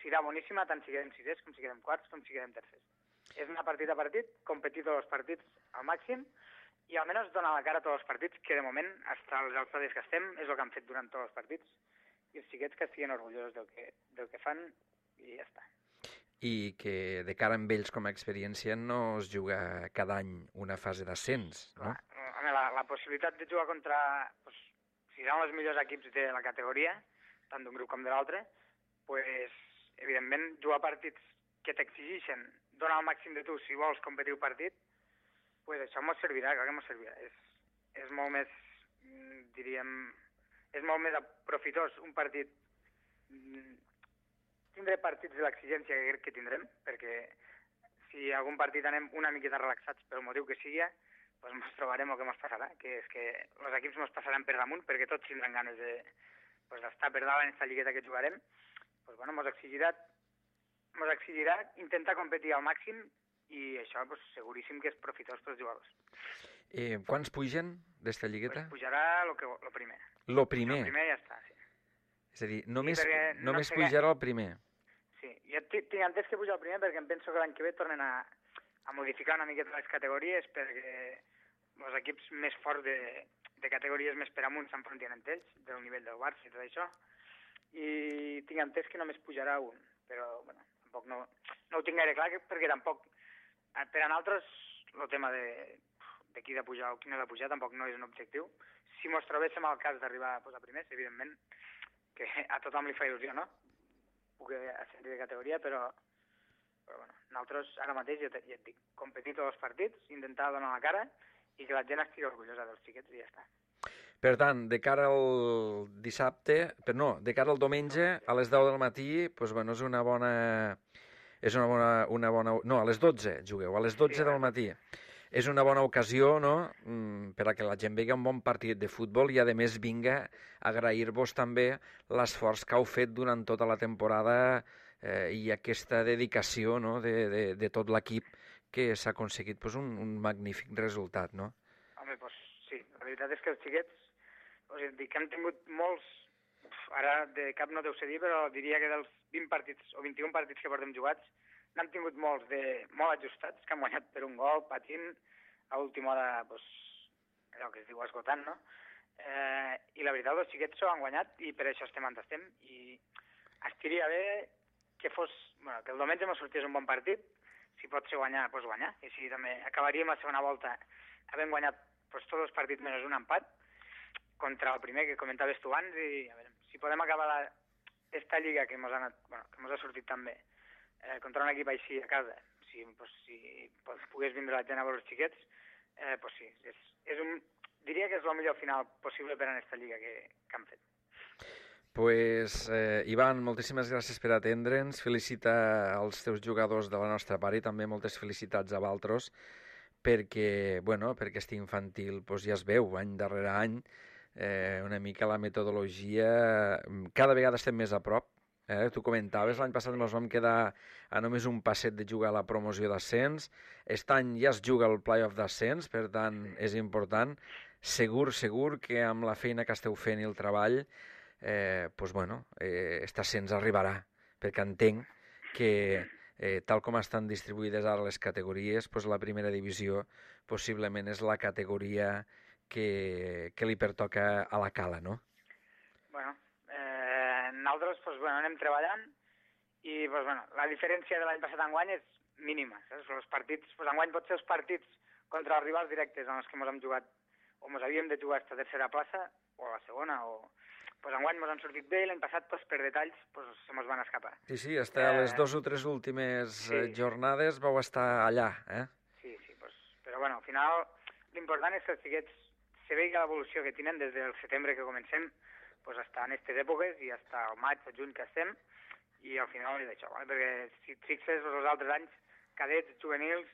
serà boníssima tant si quedem sisers com si quedem quarts com si quedem tercers. És anar partit a partit, competir tots els partits al màxim i almenys donar la cara a tots els partits, que de moment, fins als estadis que estem, és el que han fet durant tots els partits, i els xiquets que estiguin orgullosos del que fan i ja està. I que de cara amb ells com a experiència no es juga cada any una fase d'ascens, no? La possibilitat de jugar contra, si seran els millors equips de la categoria, tant d'un grup com de l'altre, evidentment, jugar partits que t'exigeixen, donar el màxim de tu si vols competir un partit, això ens servirà, clar que ens servirà. És molt més, diríem, és molt més aprofitós un partit, tindré partits de l'exigència que crec que tindrem, perquè si algun partit anem una miqueta relaxats pel motiu que sigui, ens trobarem el que ens passarà, que és que els equips ens passaran per damunt, perquè tots tindran ganes d'estar per dalt en aquesta lligueta que jugarem. Ens exigirà intentar competir al màxim i això seguríssim que és profitós pels jugadors. Quants pugen d'esta lligueta? Pujarà el primer. Lo primer? El primer ja està, sí. És a dir, només pujarà el primer? Sí, jo tinc entès que puja el primer perquè em penso que l'any que ve tornen a modificar una miqueta les categories perquè els equips més forts de categories més per amunt s'enfrontin entre ells, del nivell del Barça i tot això, i tinc entès que només pujarà un, però tampoc no ho tinc gaire clar perquè tampoc, per a nosaltres, el tema de qui ha de pujar o qui no ha de pujar tampoc no és un objectiu. Si mos trobéssim al cas d'arribar a posar primers, evidentment, que a tothom li fa il·lusió, no? Puc ascendir de categoria, però nosaltres ara mateix, ja et dic, competir tots els partits, intentar donar la cara i que la gent estigui orgullosa dels xiquets i ja està. Per tant, de cara al de cara al diumenge, a les 10 del matí, és una bona... No, a les 12 jugueu, a les 12 del matí. És una bona ocasió, no?, per a que la gent vegi un bon partit de futbol i, a més, vinga a agrair-vos també l'esforç que heu fet durant tota la temporada i aquesta dedicació, no?, de tot l'equip, que s'ha aconseguit un magnífic resultat, no? Home, sí, la veritat és que els xiquets, que hem tingut molts, ara de cap no deu ser dir, però diria que dels 20 partits o 21 partits que portem jugats, n'hem tingut molts molt ajustats, que han guanyat per un gol, patint, a última hora, allò que es diu esgotant, no? I la veritat, els xiquets s'ho han guanyat i per això estem on estem. I estiria bé que el diumenge ens sortís un bon partit, si pot ser guanyar, doncs guanyar. I així també acabaríem la segona volta havent guanyat tots els partits menys un empat contra el primer que comentaves tu abans i a veure, si podem acabar aquesta lliga que ens ha sortit tan bé contra un equip així a casa, si pogués vindre la gent a veure els xiquets, sí, diria que és el millor final possible per a aquesta lliga que han fet. Ivan, moltíssimes gràcies per atendre'ns, felicita als teus jugadors de la nostra part i també moltes felicitats a vosaltres perquè, perquè este infantil ja es veu any darrere any una mica la metodologia. Cada vegada estem més a prop. Tu comentaves, l'any passat ens vam quedar a només un passet de jugar a la promoció d'ascens. Aquest any ja es juga el play-off d'ascens, per tant és important. Segur que amb la feina que esteu fent i el treball, aquest ascens arribarà, perquè entenc que tal com estan distribuïdes ara les categories, la primera divisió possiblement és la categoria que li pertoca a la Cala, no? Bueno, nosaltres anem treballant i la diferència de l'any passat a enguany és mínima. Els partits, enguany potser els partits contra els rivals directes en els que ens hem jugat o ens havíem de jugar a esta tercera plaça o a la segona, enguany ens han sortit bé i l'any passat per detalls se ens van escapar. Sí, hasta les 2 o 3 últimes jornades vau estar allà, eh? Sí, però al final l'important és que els xiquets se vegi l'evolució que tenen des del setembre que comencem fins a aquestes èpoques i fins al maig o juny que estem, i al final és això, perquè si et fixes els altres anys, cadets, juvenils,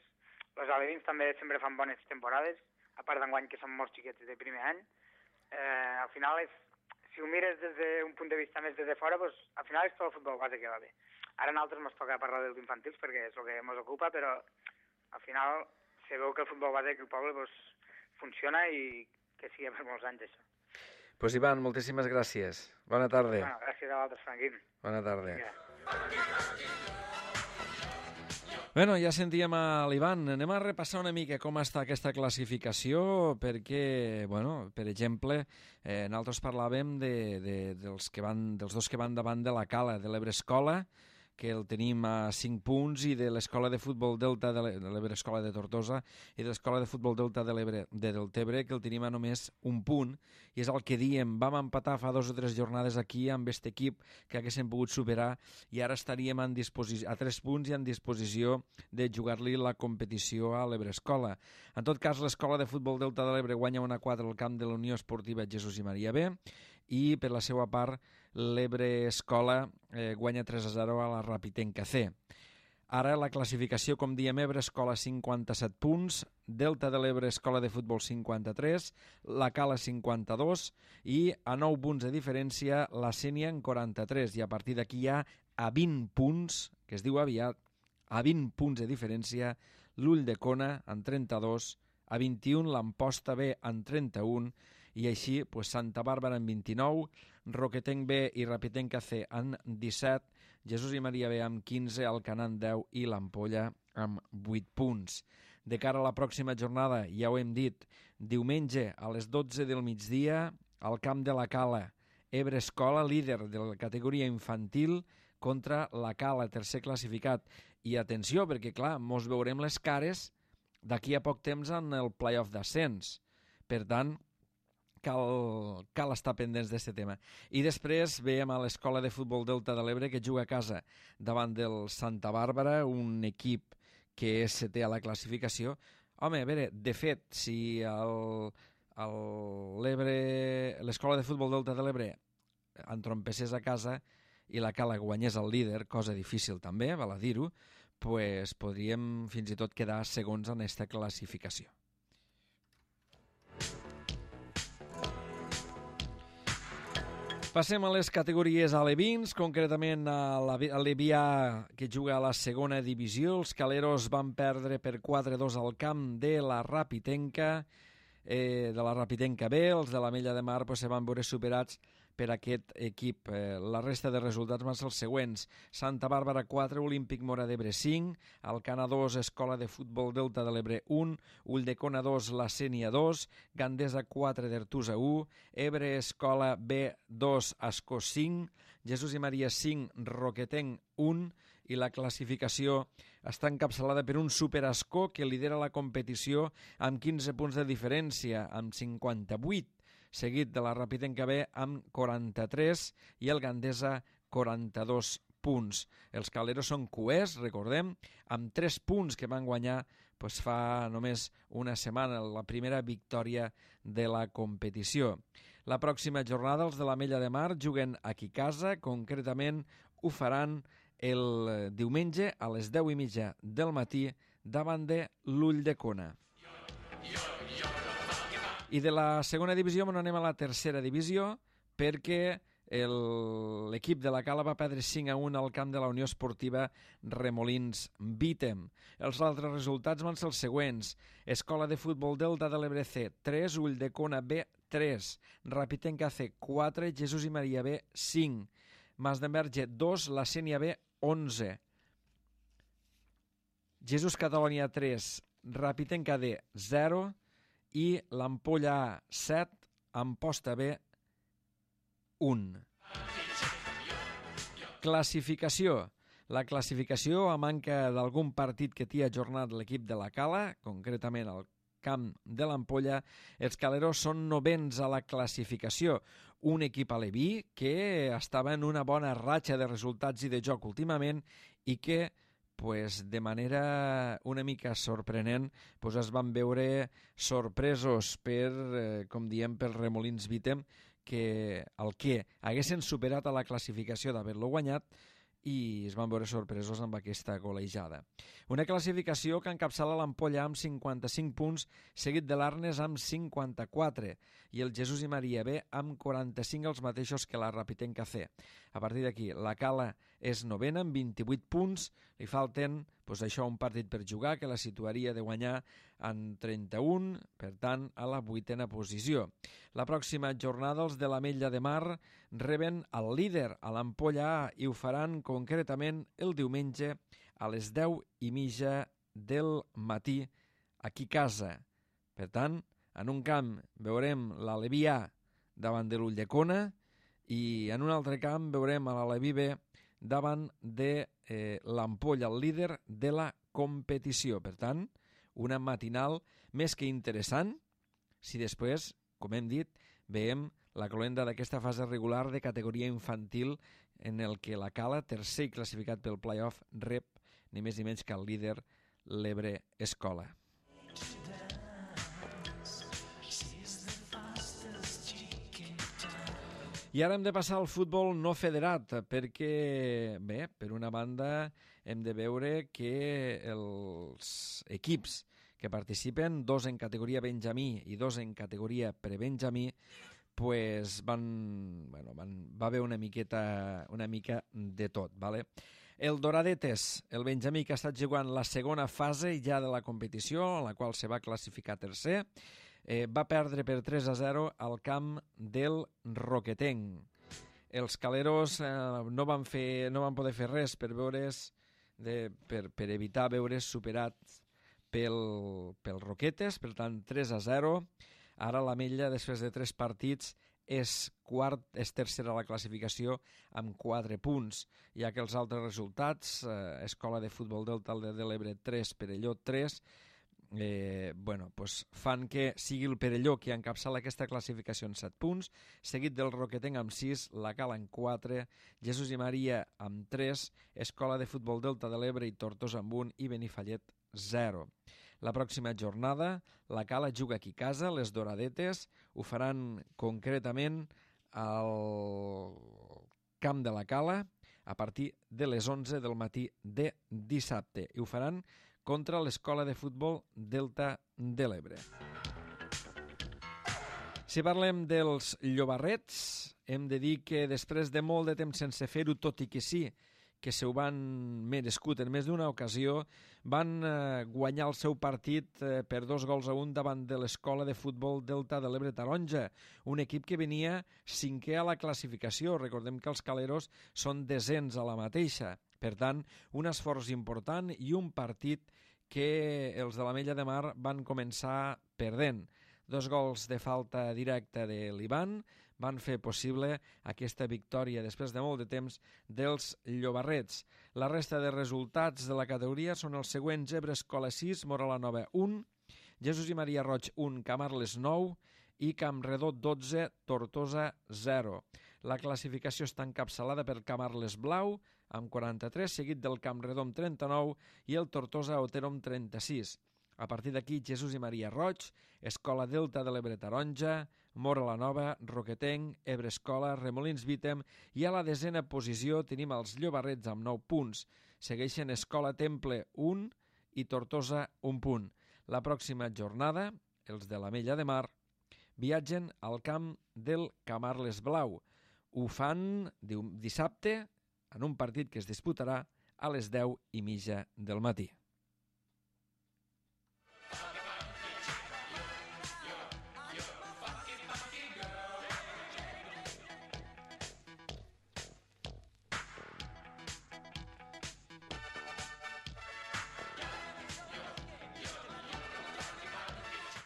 els alevins també sempre fan bones temporades, a part d'enguany que són molts xiquets de primer any. Al final, si ho mires des d'un punt de vista més des de fora, al final és tot el futbol base que va bé. Ara a nosaltres ens toca parlar dels infantils perquè és el que ens ocupa, però al final se veu que el futbol base aquí al poble funciona i que sigui per molts anys això. Pues Ivan, moltíssimes gràcies. Bona tarda. Bueno, gràcies a vosaltres, Franquín. Bona tarda. Bueno, ja sentíem a l'Ivan. Anem a repassar una mica com està aquesta classificació, perquè, per exemple, nosaltres parlàvem dels dos que van davant de la Cala, de l'Ebre Escola, que el tenim a 5 punts, i de l'Escola de Futbol Delta de l'Ebre Escola de Tortosa i de l'Escola de Futbol Delta de l'Ebre de Deltebre, que el tenim a només 1 punt, i és el que diem, vam empatar fa 2 o 3 jornades aquí amb aquest equip que haguéssim pogut superar, i ara estaríem a 3 punts i en disposició de jugar-li la competició a l'Ebre Escola. En tot cas, l'Escola de Futbol Delta de l'Ebre guanya 1-4 al camp de la Unió Esportiva Jesús i Maria B, i per la seva part l'Ebre Escola guanya 3-0 a la Rapitenca C. Ara la classificació, com diem, Ebre Escola 57 punts, Delta de l'Ebre Escola de Futbol 53, la Cala 52 i a 9 punts de diferència la Sénia en 43, i a partir d'aquí hi ha a 20 punts, que es diu aviat, a 20 punts de diferència l'Ull de Cona en 32, a 21 l'Amposta B en 31, i així Santa Bàrbara en 29, Roquetenc B i Rapitenca C en 17, Jesús i Maria B amb 15, Alcanar en 10 i l'Ampolla amb 8 punts. De cara a la pròxima jornada, ja ho hem dit, diumenge a les 12 del migdia, al camp de la Cala, Ebre Escola, líder de la categoria infantil, contra la Cala, tercer classificat. I atenció, perquè clar, mos veurem les cares d'aquí a poc temps en el play-off d'ascens. Per tant, cal estar pendents d'aquest tema. I després veiem a l'Escola de Futbol Delta de l'Ebre, que juga a casa davant del Santa Bàrbara, un equip que és setè a la classificació. Home, a veure, de fet, si l'Escola de Futbol Delta de l'Ebre entrompessés a casa i la Cala guanyés el líder, cosa difícil també, val a dir-ho, pues podríem fins i tot quedar segons en aquesta classificació. Passem a les categories alevins, concretament a l'Evià, que juga a la segona divisió. Els caleros van perdre per 4-2 al camp de la Rapitenca B. Els de l'Ametlla de Mar se van veure superats per aquest equip. La resta de resultats van ser els següents: Santa Bàrbara 4, Olímpic Mora d'Ebre 5, Alcanar 2, Escola de Futbol Delta de l'Ebre 1, Ulldecona 2, La Sénia 2, Gandesa 4, d'Artusa 1, Ebre Escola B 2, Ascó 5, Jesús i Maria 5, Roquetenc 1, i la classificació està encapçalada per un Super Ascó que lidera la competició amb 15 punts de diferència, amb 58, seguit de la Rapitenca B amb 43 i el Gandesa 42 punts. Els caleros són cuers, recordem, amb 3 punts que van guanyar fa només una setmana, la primera victòria de la competició. La pròxima jornada els de l'Ametlla de Mar juguen aquí a casa, concretament ho faran el diumenge a les 10:30 del matí davant de l'Ulldecona. I de la segona divisió anem a la tercera divisió, perquè l'equip de la Cala va perdre 5-1 al camp de la Unió Esportiva Remolins Vítem. Els altres resultats van ser els següents: Escola de Futbol Delta de l'Ebre C 3, Ulldecona B 3, Rapitenca C 4, Jesús i Maria B 5, Masdenverge 2, La Sénia B 11, Jesús Catalonia 3, Rapitenca D 0 i l'Ampolla A 7, Amposta B 1. Classificació. La classificació, a manca d'algun partit que t'hi ha ajornat l'equip de la Cala, concretament al camp de l'Ampolla, els caleros són novens a la classificació. Un equip aleví que estava en una bona ratxa de resultats i de joc últimament i que de manera una mica sorprenent es van veure sorpresos per, com diem, per Remolins Vítem, que el que haguessin superat a la classificació d'haver-lo guanyat i es van veure sorpresos amb aquesta golejada. Una classificació que encapçala l'Ampolla amb 55 punts, seguit de l'Arnes amb 54 i el Jesús i Maria B amb 45, els mateixos que la Rapitenca C. A partir d'aquí, la Cala és novena amb 28 punts, li falten un partit per jugar que la situaria de guanyar en 31, per tant, a la 8a posició. La pròxima jornada els de l'Ametlla de Mar reben el líder a l'Ampolla A i ho faran concretament el diumenge a les 10:30 del matí aquí a casa. Per tant, en un camp veurem l'Aleví A davant de l'Ulldecona i en un altre camp veurem a l'Aleví B davant de l'Ampolla, el líder de la competició. Per tant, una matinal més que interessant si després, com hem dit, veiem la cloenda d'aquesta fase regular de categoria infantil en el que la Cala, tercer classificat pel play-off, rep ni més ni menys que el líder, l'Ebre Escola. I ara hem de passar al futbol no federat, perquè, bé, per una banda hem de veure que els equips que participen, 2 en categoria benjamí i 2 en categoria prebenjamí, va haver una mica de tot, ¿vale? El Doradetes, el benjamí que ha estat jugant la segona fase ja de la competició, en la qual se va classificar tercer, va perdre per 3-0 al camp del Roquetenc. Els caleros no van poder fer res per evitar veure's superats pel Roquetes, per tant 3-0. Ara l'Ametlla, després de 3 partits, és tercera a la classificació amb 4 punts, ja que els altres resultats, Escola de Futbol Delta de l'Ebre 3, Perelló 3, fan que sigui el Perelló qui encapçala aquesta classificació en 7 punts, seguit del Roquetenc amb 6, la Cala amb 4, Jesús i Maria amb 3, Escola de Futbol Delta de l'Ebre i Tortosa amb 1 i Benifallet 0. La pròxima jornada la Cala juga aquí a casa, les Doradetes ho faran concretament al camp de la Cala a partir de les 11 del matí de dissabte i ho faran contra l'Escola de Futbol Delta de l'Ebre. Si parlem dels llobarrets, hem de dir que després de molt de temps sense fer-ho, tot i que sí que se ho van merescut en més d'una ocasió, van guanyar el seu partit per 2-1 davant de l'Escola de Futbol Delta de l'Ebre Taronja, un equip que venia 5è a la classificació. Recordem que els caleros són desens a la mateixa. Per tant, un esforç important i un partit que els de l'Ametlla de Mar van començar perdent. 2 gols de falta directa de l'Ivan van fer possible aquesta victòria després de molt de temps dels llobarrets. La resta de resultats de la categoria són els següents: Ebre Escola 6, Móra la Nova 1, Jesús i Maria Roig 1, Camarles 9 i Campredó 12, Tortosa 0. La classificació està encapçalada per Camarles Blau amb 43, seguit del Campredó amb 39 i el Tortosa Otero amb 36. A partir d'aquí, Jesús i Maria Roig, Escola Delta de l'Ebre Taronja, Móra la Nova, Roquetenc, Ebre Escola, Remolins Vítem i a la 10a posició tenim els llobarrets amb 9 punts. Segueixen Escola Temple 1 i Tortosa 1 punt. La pròxima jornada, els de l'Ametlla de Mar, viatgen al camp del Camarles Blau. Ho fan dissabte en un partit que es disputarà a les 10:30 del matí.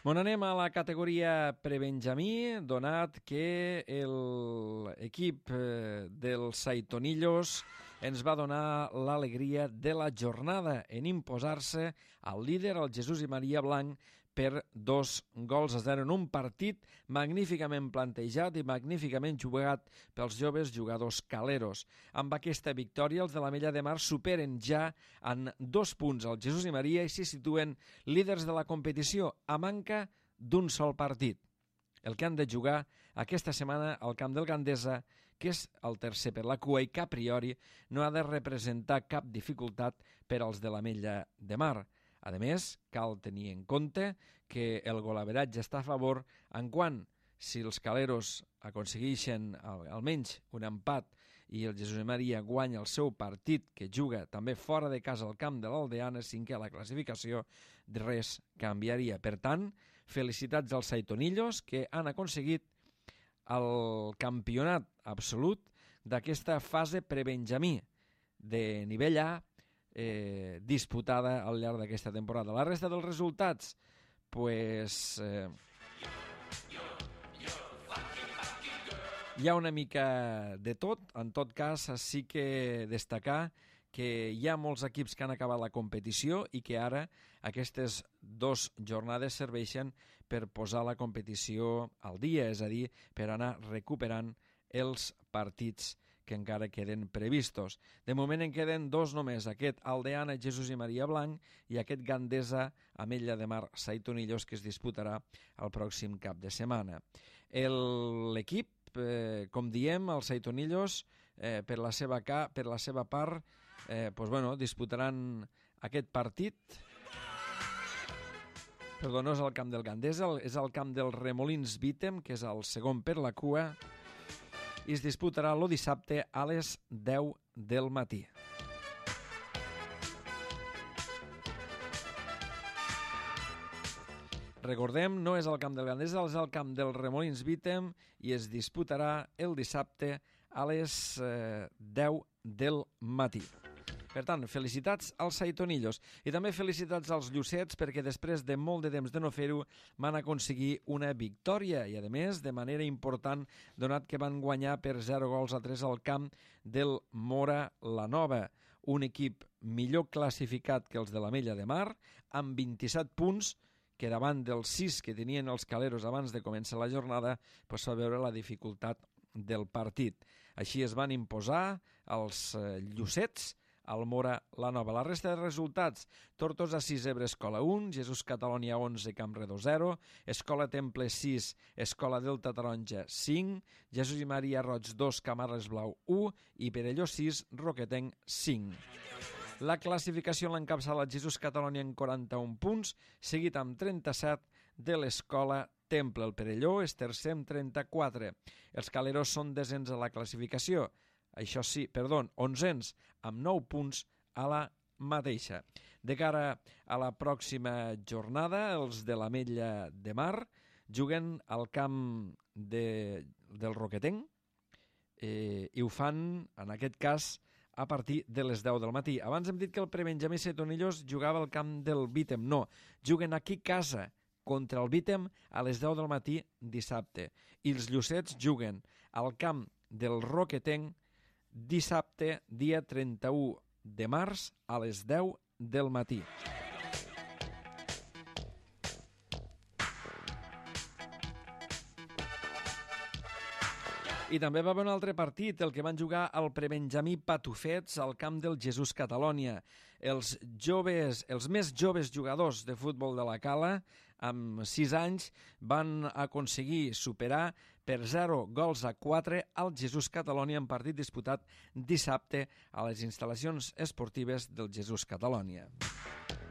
Bon, anem a la categoria prebenjamí, donat que l'equip dels Saitonillos ens va donar l'alegria de la jornada en imposar-se al líder, el Jesús i Maria Blanc, per 2-0 en un partit magníficament plantejat i magníficament jugat pels joves jugadors caleros. Amb aquesta victòria, els de l'Ametlla de Mar superen ja en 2 punts el Jesús i Maria i s'hi situen líders de la competició a manca d'un sol partit. El que han de jugar aquesta setmana al camp del Gandesa, que és el tercer per la cua i que a priori no ha de representar cap dificultat per als de l'Ametlla de Mar. A més, cal tenir en compte que el golaveratge està a favor en quant, si els caleros aconsegueixen almenys un empat i el Jesús i Maria guanya el seu partit, que juga també fora de casa al camp de l'Aldeana, cinquè a la classificació, res canviaria. Per tant, felicitats als Saitonillos, que han aconseguit el campionat absolut d'aquesta fase prebenjamí de nivell A, disputada al llarg d'aquesta temporada. La resta dels resultats, hi ha una mica de tot. En tot cas, sí que destacar que hi ha molts equips que han acabat la competició i que ara aquestes 2 jornades serveixen per posar la competició al dia, és a dir, per anar recuperant els partits que encara queden previstos. De moment en queden 2 només, aquest Aldeana, Jesús i Maria Blanc, i aquest Gandesa, Ametlla de Mar, Saitonillos, que es disputarà el pròxim cap de setmana. L'equip, com diem, els Saitonillos, per la seva part, disputaran aquest partit. Perdó, no és el camp del Gandesa, és el camp del Remolins Vítem, que és el segon per la cua, i es disputarà el dissabte a les 10 del matí. Recordem, no és el camp del Gandesa, és el camp del Remolins Vítem i es disputarà el dissabte a les 10 del matí. Per tant, felicitats als Saitonillos i també felicitats als Llucets perquè després de molt de temps de no fer-ho van aconseguir una victòria i, a més, de manera important, donat que van guanyar per 0-3 al camp del Mora la Nova, un equip millor classificat que els de l'Ametlla de Mar, amb 27 punts, que davant dels 6 que tenien els caleros abans de començar la jornada, va veure la dificultat del partit. Així es van imposar els Llucets al Mora la Nova. La resta de resultats: Tortosa 6, Ebre Escola 1, Jesús Catalònia 11, Campredó 0, Escola Temple 6, Escola Delta Taronja 5, Jesús i Maria Roig 2, Camarles Blau 1 i Perelló 6, Roquetenc 5. La classificació l'encapçala Jesús Catalònia amb 41 punts, seguit amb 37 de l'Escola Temple. El Perelló és tercer amb 34. Els caleros són desens a la classificació, onzens amb 9 punts a la mateixa. De cara a la pròxima jornada, els de l'Ametlla de Mar juguen al camp del Roquetenc i ho fan, en aquest cas, a partir de les 10 del matí. Abans hem dit que el prebenjamí Saitonillos jugava al camp del Vítem. No, juguen aquí a casa contra el Vítem a les 10 del matí dissabte. I els Llucets juguen al camp del Roquetenc dissabte, dia 31 de març, a les 10 del matí. I també va haver un altre partit, el que van jugar al prebenjamí Patufets al camp del Jesús Catalònia. Els més joves jugadors de futbol de la Cala, amb 6 anys, van aconseguir superar per 0-4 al Jesús Catalònia en partit disputat dissabte a les instal·lacions esportives del Jesús Catalònia.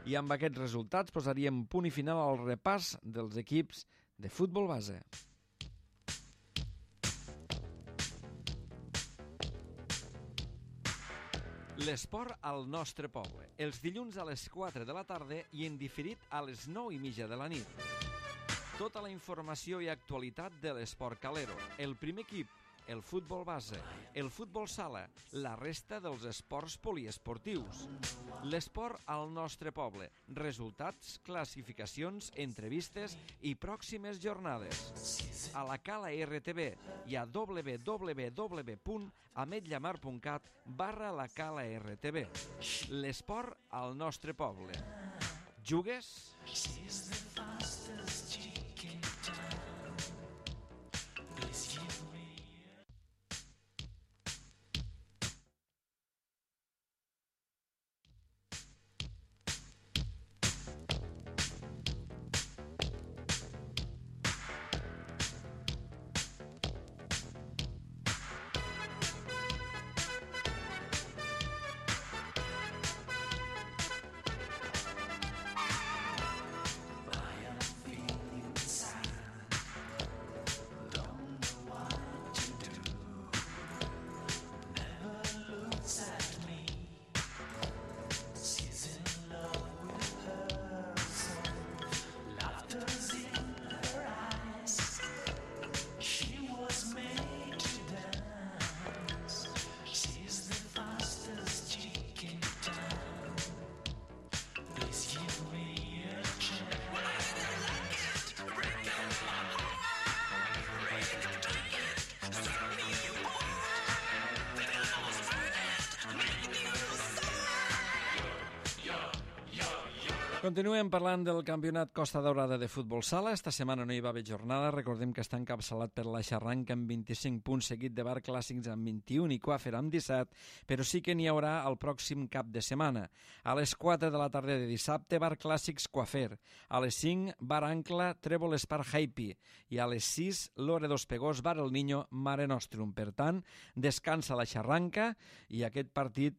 I amb aquests resultats posaríem punt i final al repàs dels equips de futbol base. L'esport al nostre poble, els dilluns a les 4 de la tarda i en diferit a les 9:30 de la nit. Tota la informació i actualitat de l'esport calero, el primer equip, el futbol base, el futbol sala, la resta dels esports poliesportius. L'esport al nostre poble, resultats, classificacions, entrevistes i pròximes jornades. A la Cala RTV i a www.ametllamar.cat/la Cala RTV. L'esport al nostre poble. Jugues? Continuem parlant del campionat Costa Daurada de futbol sala. Esta setmana no hi va haver jornada. Recordem que està encapçalat per la Xarranca amb 25 punts, seguit de Bar Clàssics amb 21 i Coafer amb 17, però sí que n'hi haurà el pròxim cap de setmana. A les 4 de la tarda de dissabte, Bar Clàssics Coafer. A les 5, Bar Ancla, Trèvol Espar Jaipi. I a les 6, Lore dos Pegós, Bar El Niño, Mare Nostrum. Per tant, descansa la Xarranca i aquest partit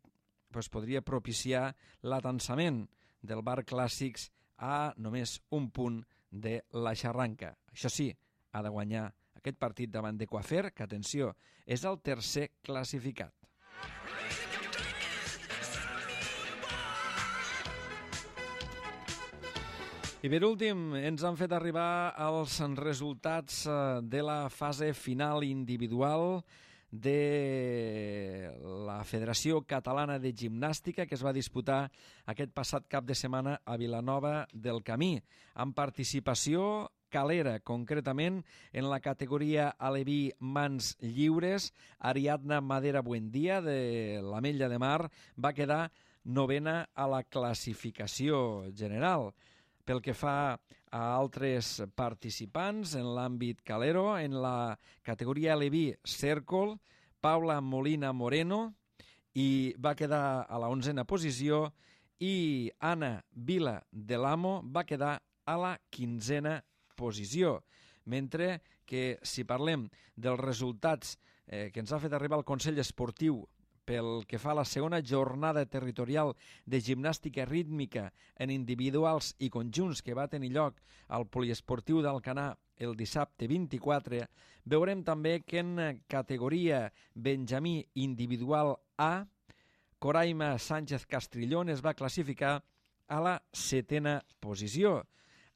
podria propiciar l'atansament del Bar Clàssics a només un punt de la Xarranca. Això sí, ha de guanyar aquest partit davant de Coafer, que, atenció, és el tercer classificat. I per últim, ens han fet arribar els resultats de la fase final individual de la Federació Catalana de Gimnàstica, que es va disputar aquest passat cap de setmana a Vilanova del Camí, amb participació calera, concretament en la categoria aleví mans lliures. Ariadna Madera Buendía, de l'Ametlla de Mar, va quedar novena a la classificació general. Pel que fa a altres participants en l'àmbit calero, en la categoria aleví cèrcol, Paula Molina Moreno i va quedar a la 11a posició i Anna Vila de l'Amo va quedar a la 15a posició. Mentre que si parlem dels resultats que ens ha fet arribar el Consell Esportiu pel que fa a la segona jornada territorial de gimnàstica rítmica en individuals i conjunts que va tenir lloc al poliesportiu d'Alcanar el dissabte 24, veurem també que en categoria Benjamí individual A, Coraima Sánchez Castrillón es va classificar a la 7a posició,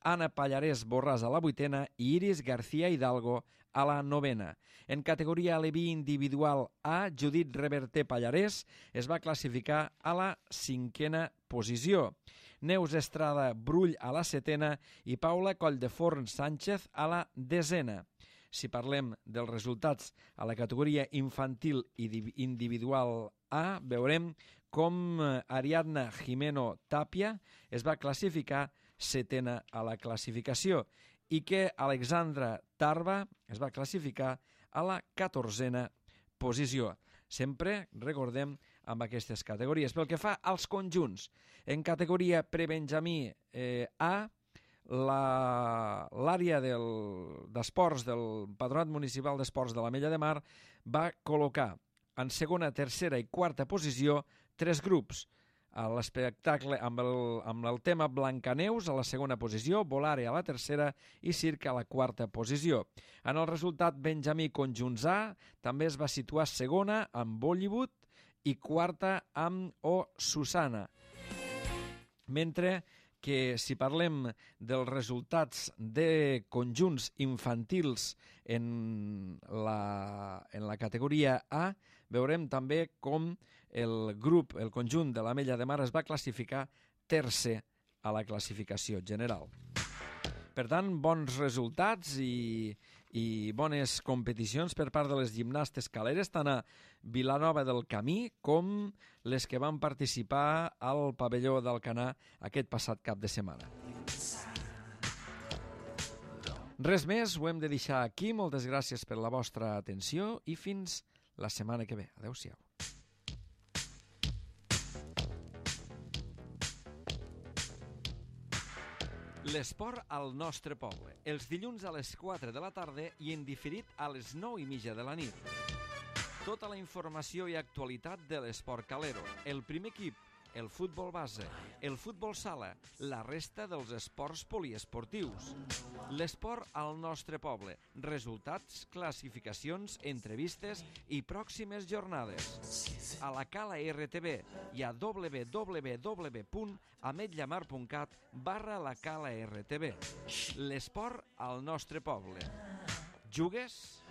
Anna Pallarès Borràs a la 8a i Iris García Hidalgo a la 9a. En categoria aleví individual A, Judit Reverter Pallarès es va classificar a la 5a posició. Neus Estrada Brull a la 7a i Paula Colldeforn Sánchez a la 10a. Si parlem dels resultats a la categoria infantil i individual A, veurem com Ariadna Jimeno Tapia es va classificar 7a a la classificació i que Alexandra Tarba es va classificar a la 14a posició. Sempre, recordem, amb aquestes categories. Pel que fa als conjunts, en categoria prebenjamí A, l'àrea d'esports del Patronat Municipal d'Esports de l'Ametlla de Mar va col·locar en segona, tercera i quarta posició 3 grups. A l'espectacle amb el tema Blancaneus a la segona posició, Volare a la tercera i Circa a la quarta posició. En el resultat, Benjamí Conjunts A també es va situar segona amb Bollywood i quarta amb Susana. Mentre que si parlem dels resultats de conjunts infantils en la categoria A, veurem també com el conjunt de l'Ametlla de Mar es va classificar tercer a la classificació general. Per tant, bons resultats i bones competicions per part de les gimnastes caleres, tant a Vilanova del Camí com les que van participar al pavelló d'Alcanar aquest passat cap de setmana. Res més, ho hem de deixar aquí. Moltes gràcies per la vostra atenció i fins la setmana que ve. Adéu-siau. L'esport al nostre poble, els dilluns a les 4 de la tarda i en diferit a les 9:30 de la nit. Tota la informació i actualitat de l'esport calero, el primer equip, el futbol base, el futbol sala, la resta dels esports poliesportius. L'esport al nostre poble, resultats, classificacions, entrevistes i pròximes jornades. A la Cala RTV i a www.ametllamar.cat/la Cala RTV. L'esport al nostre poble. Jugues?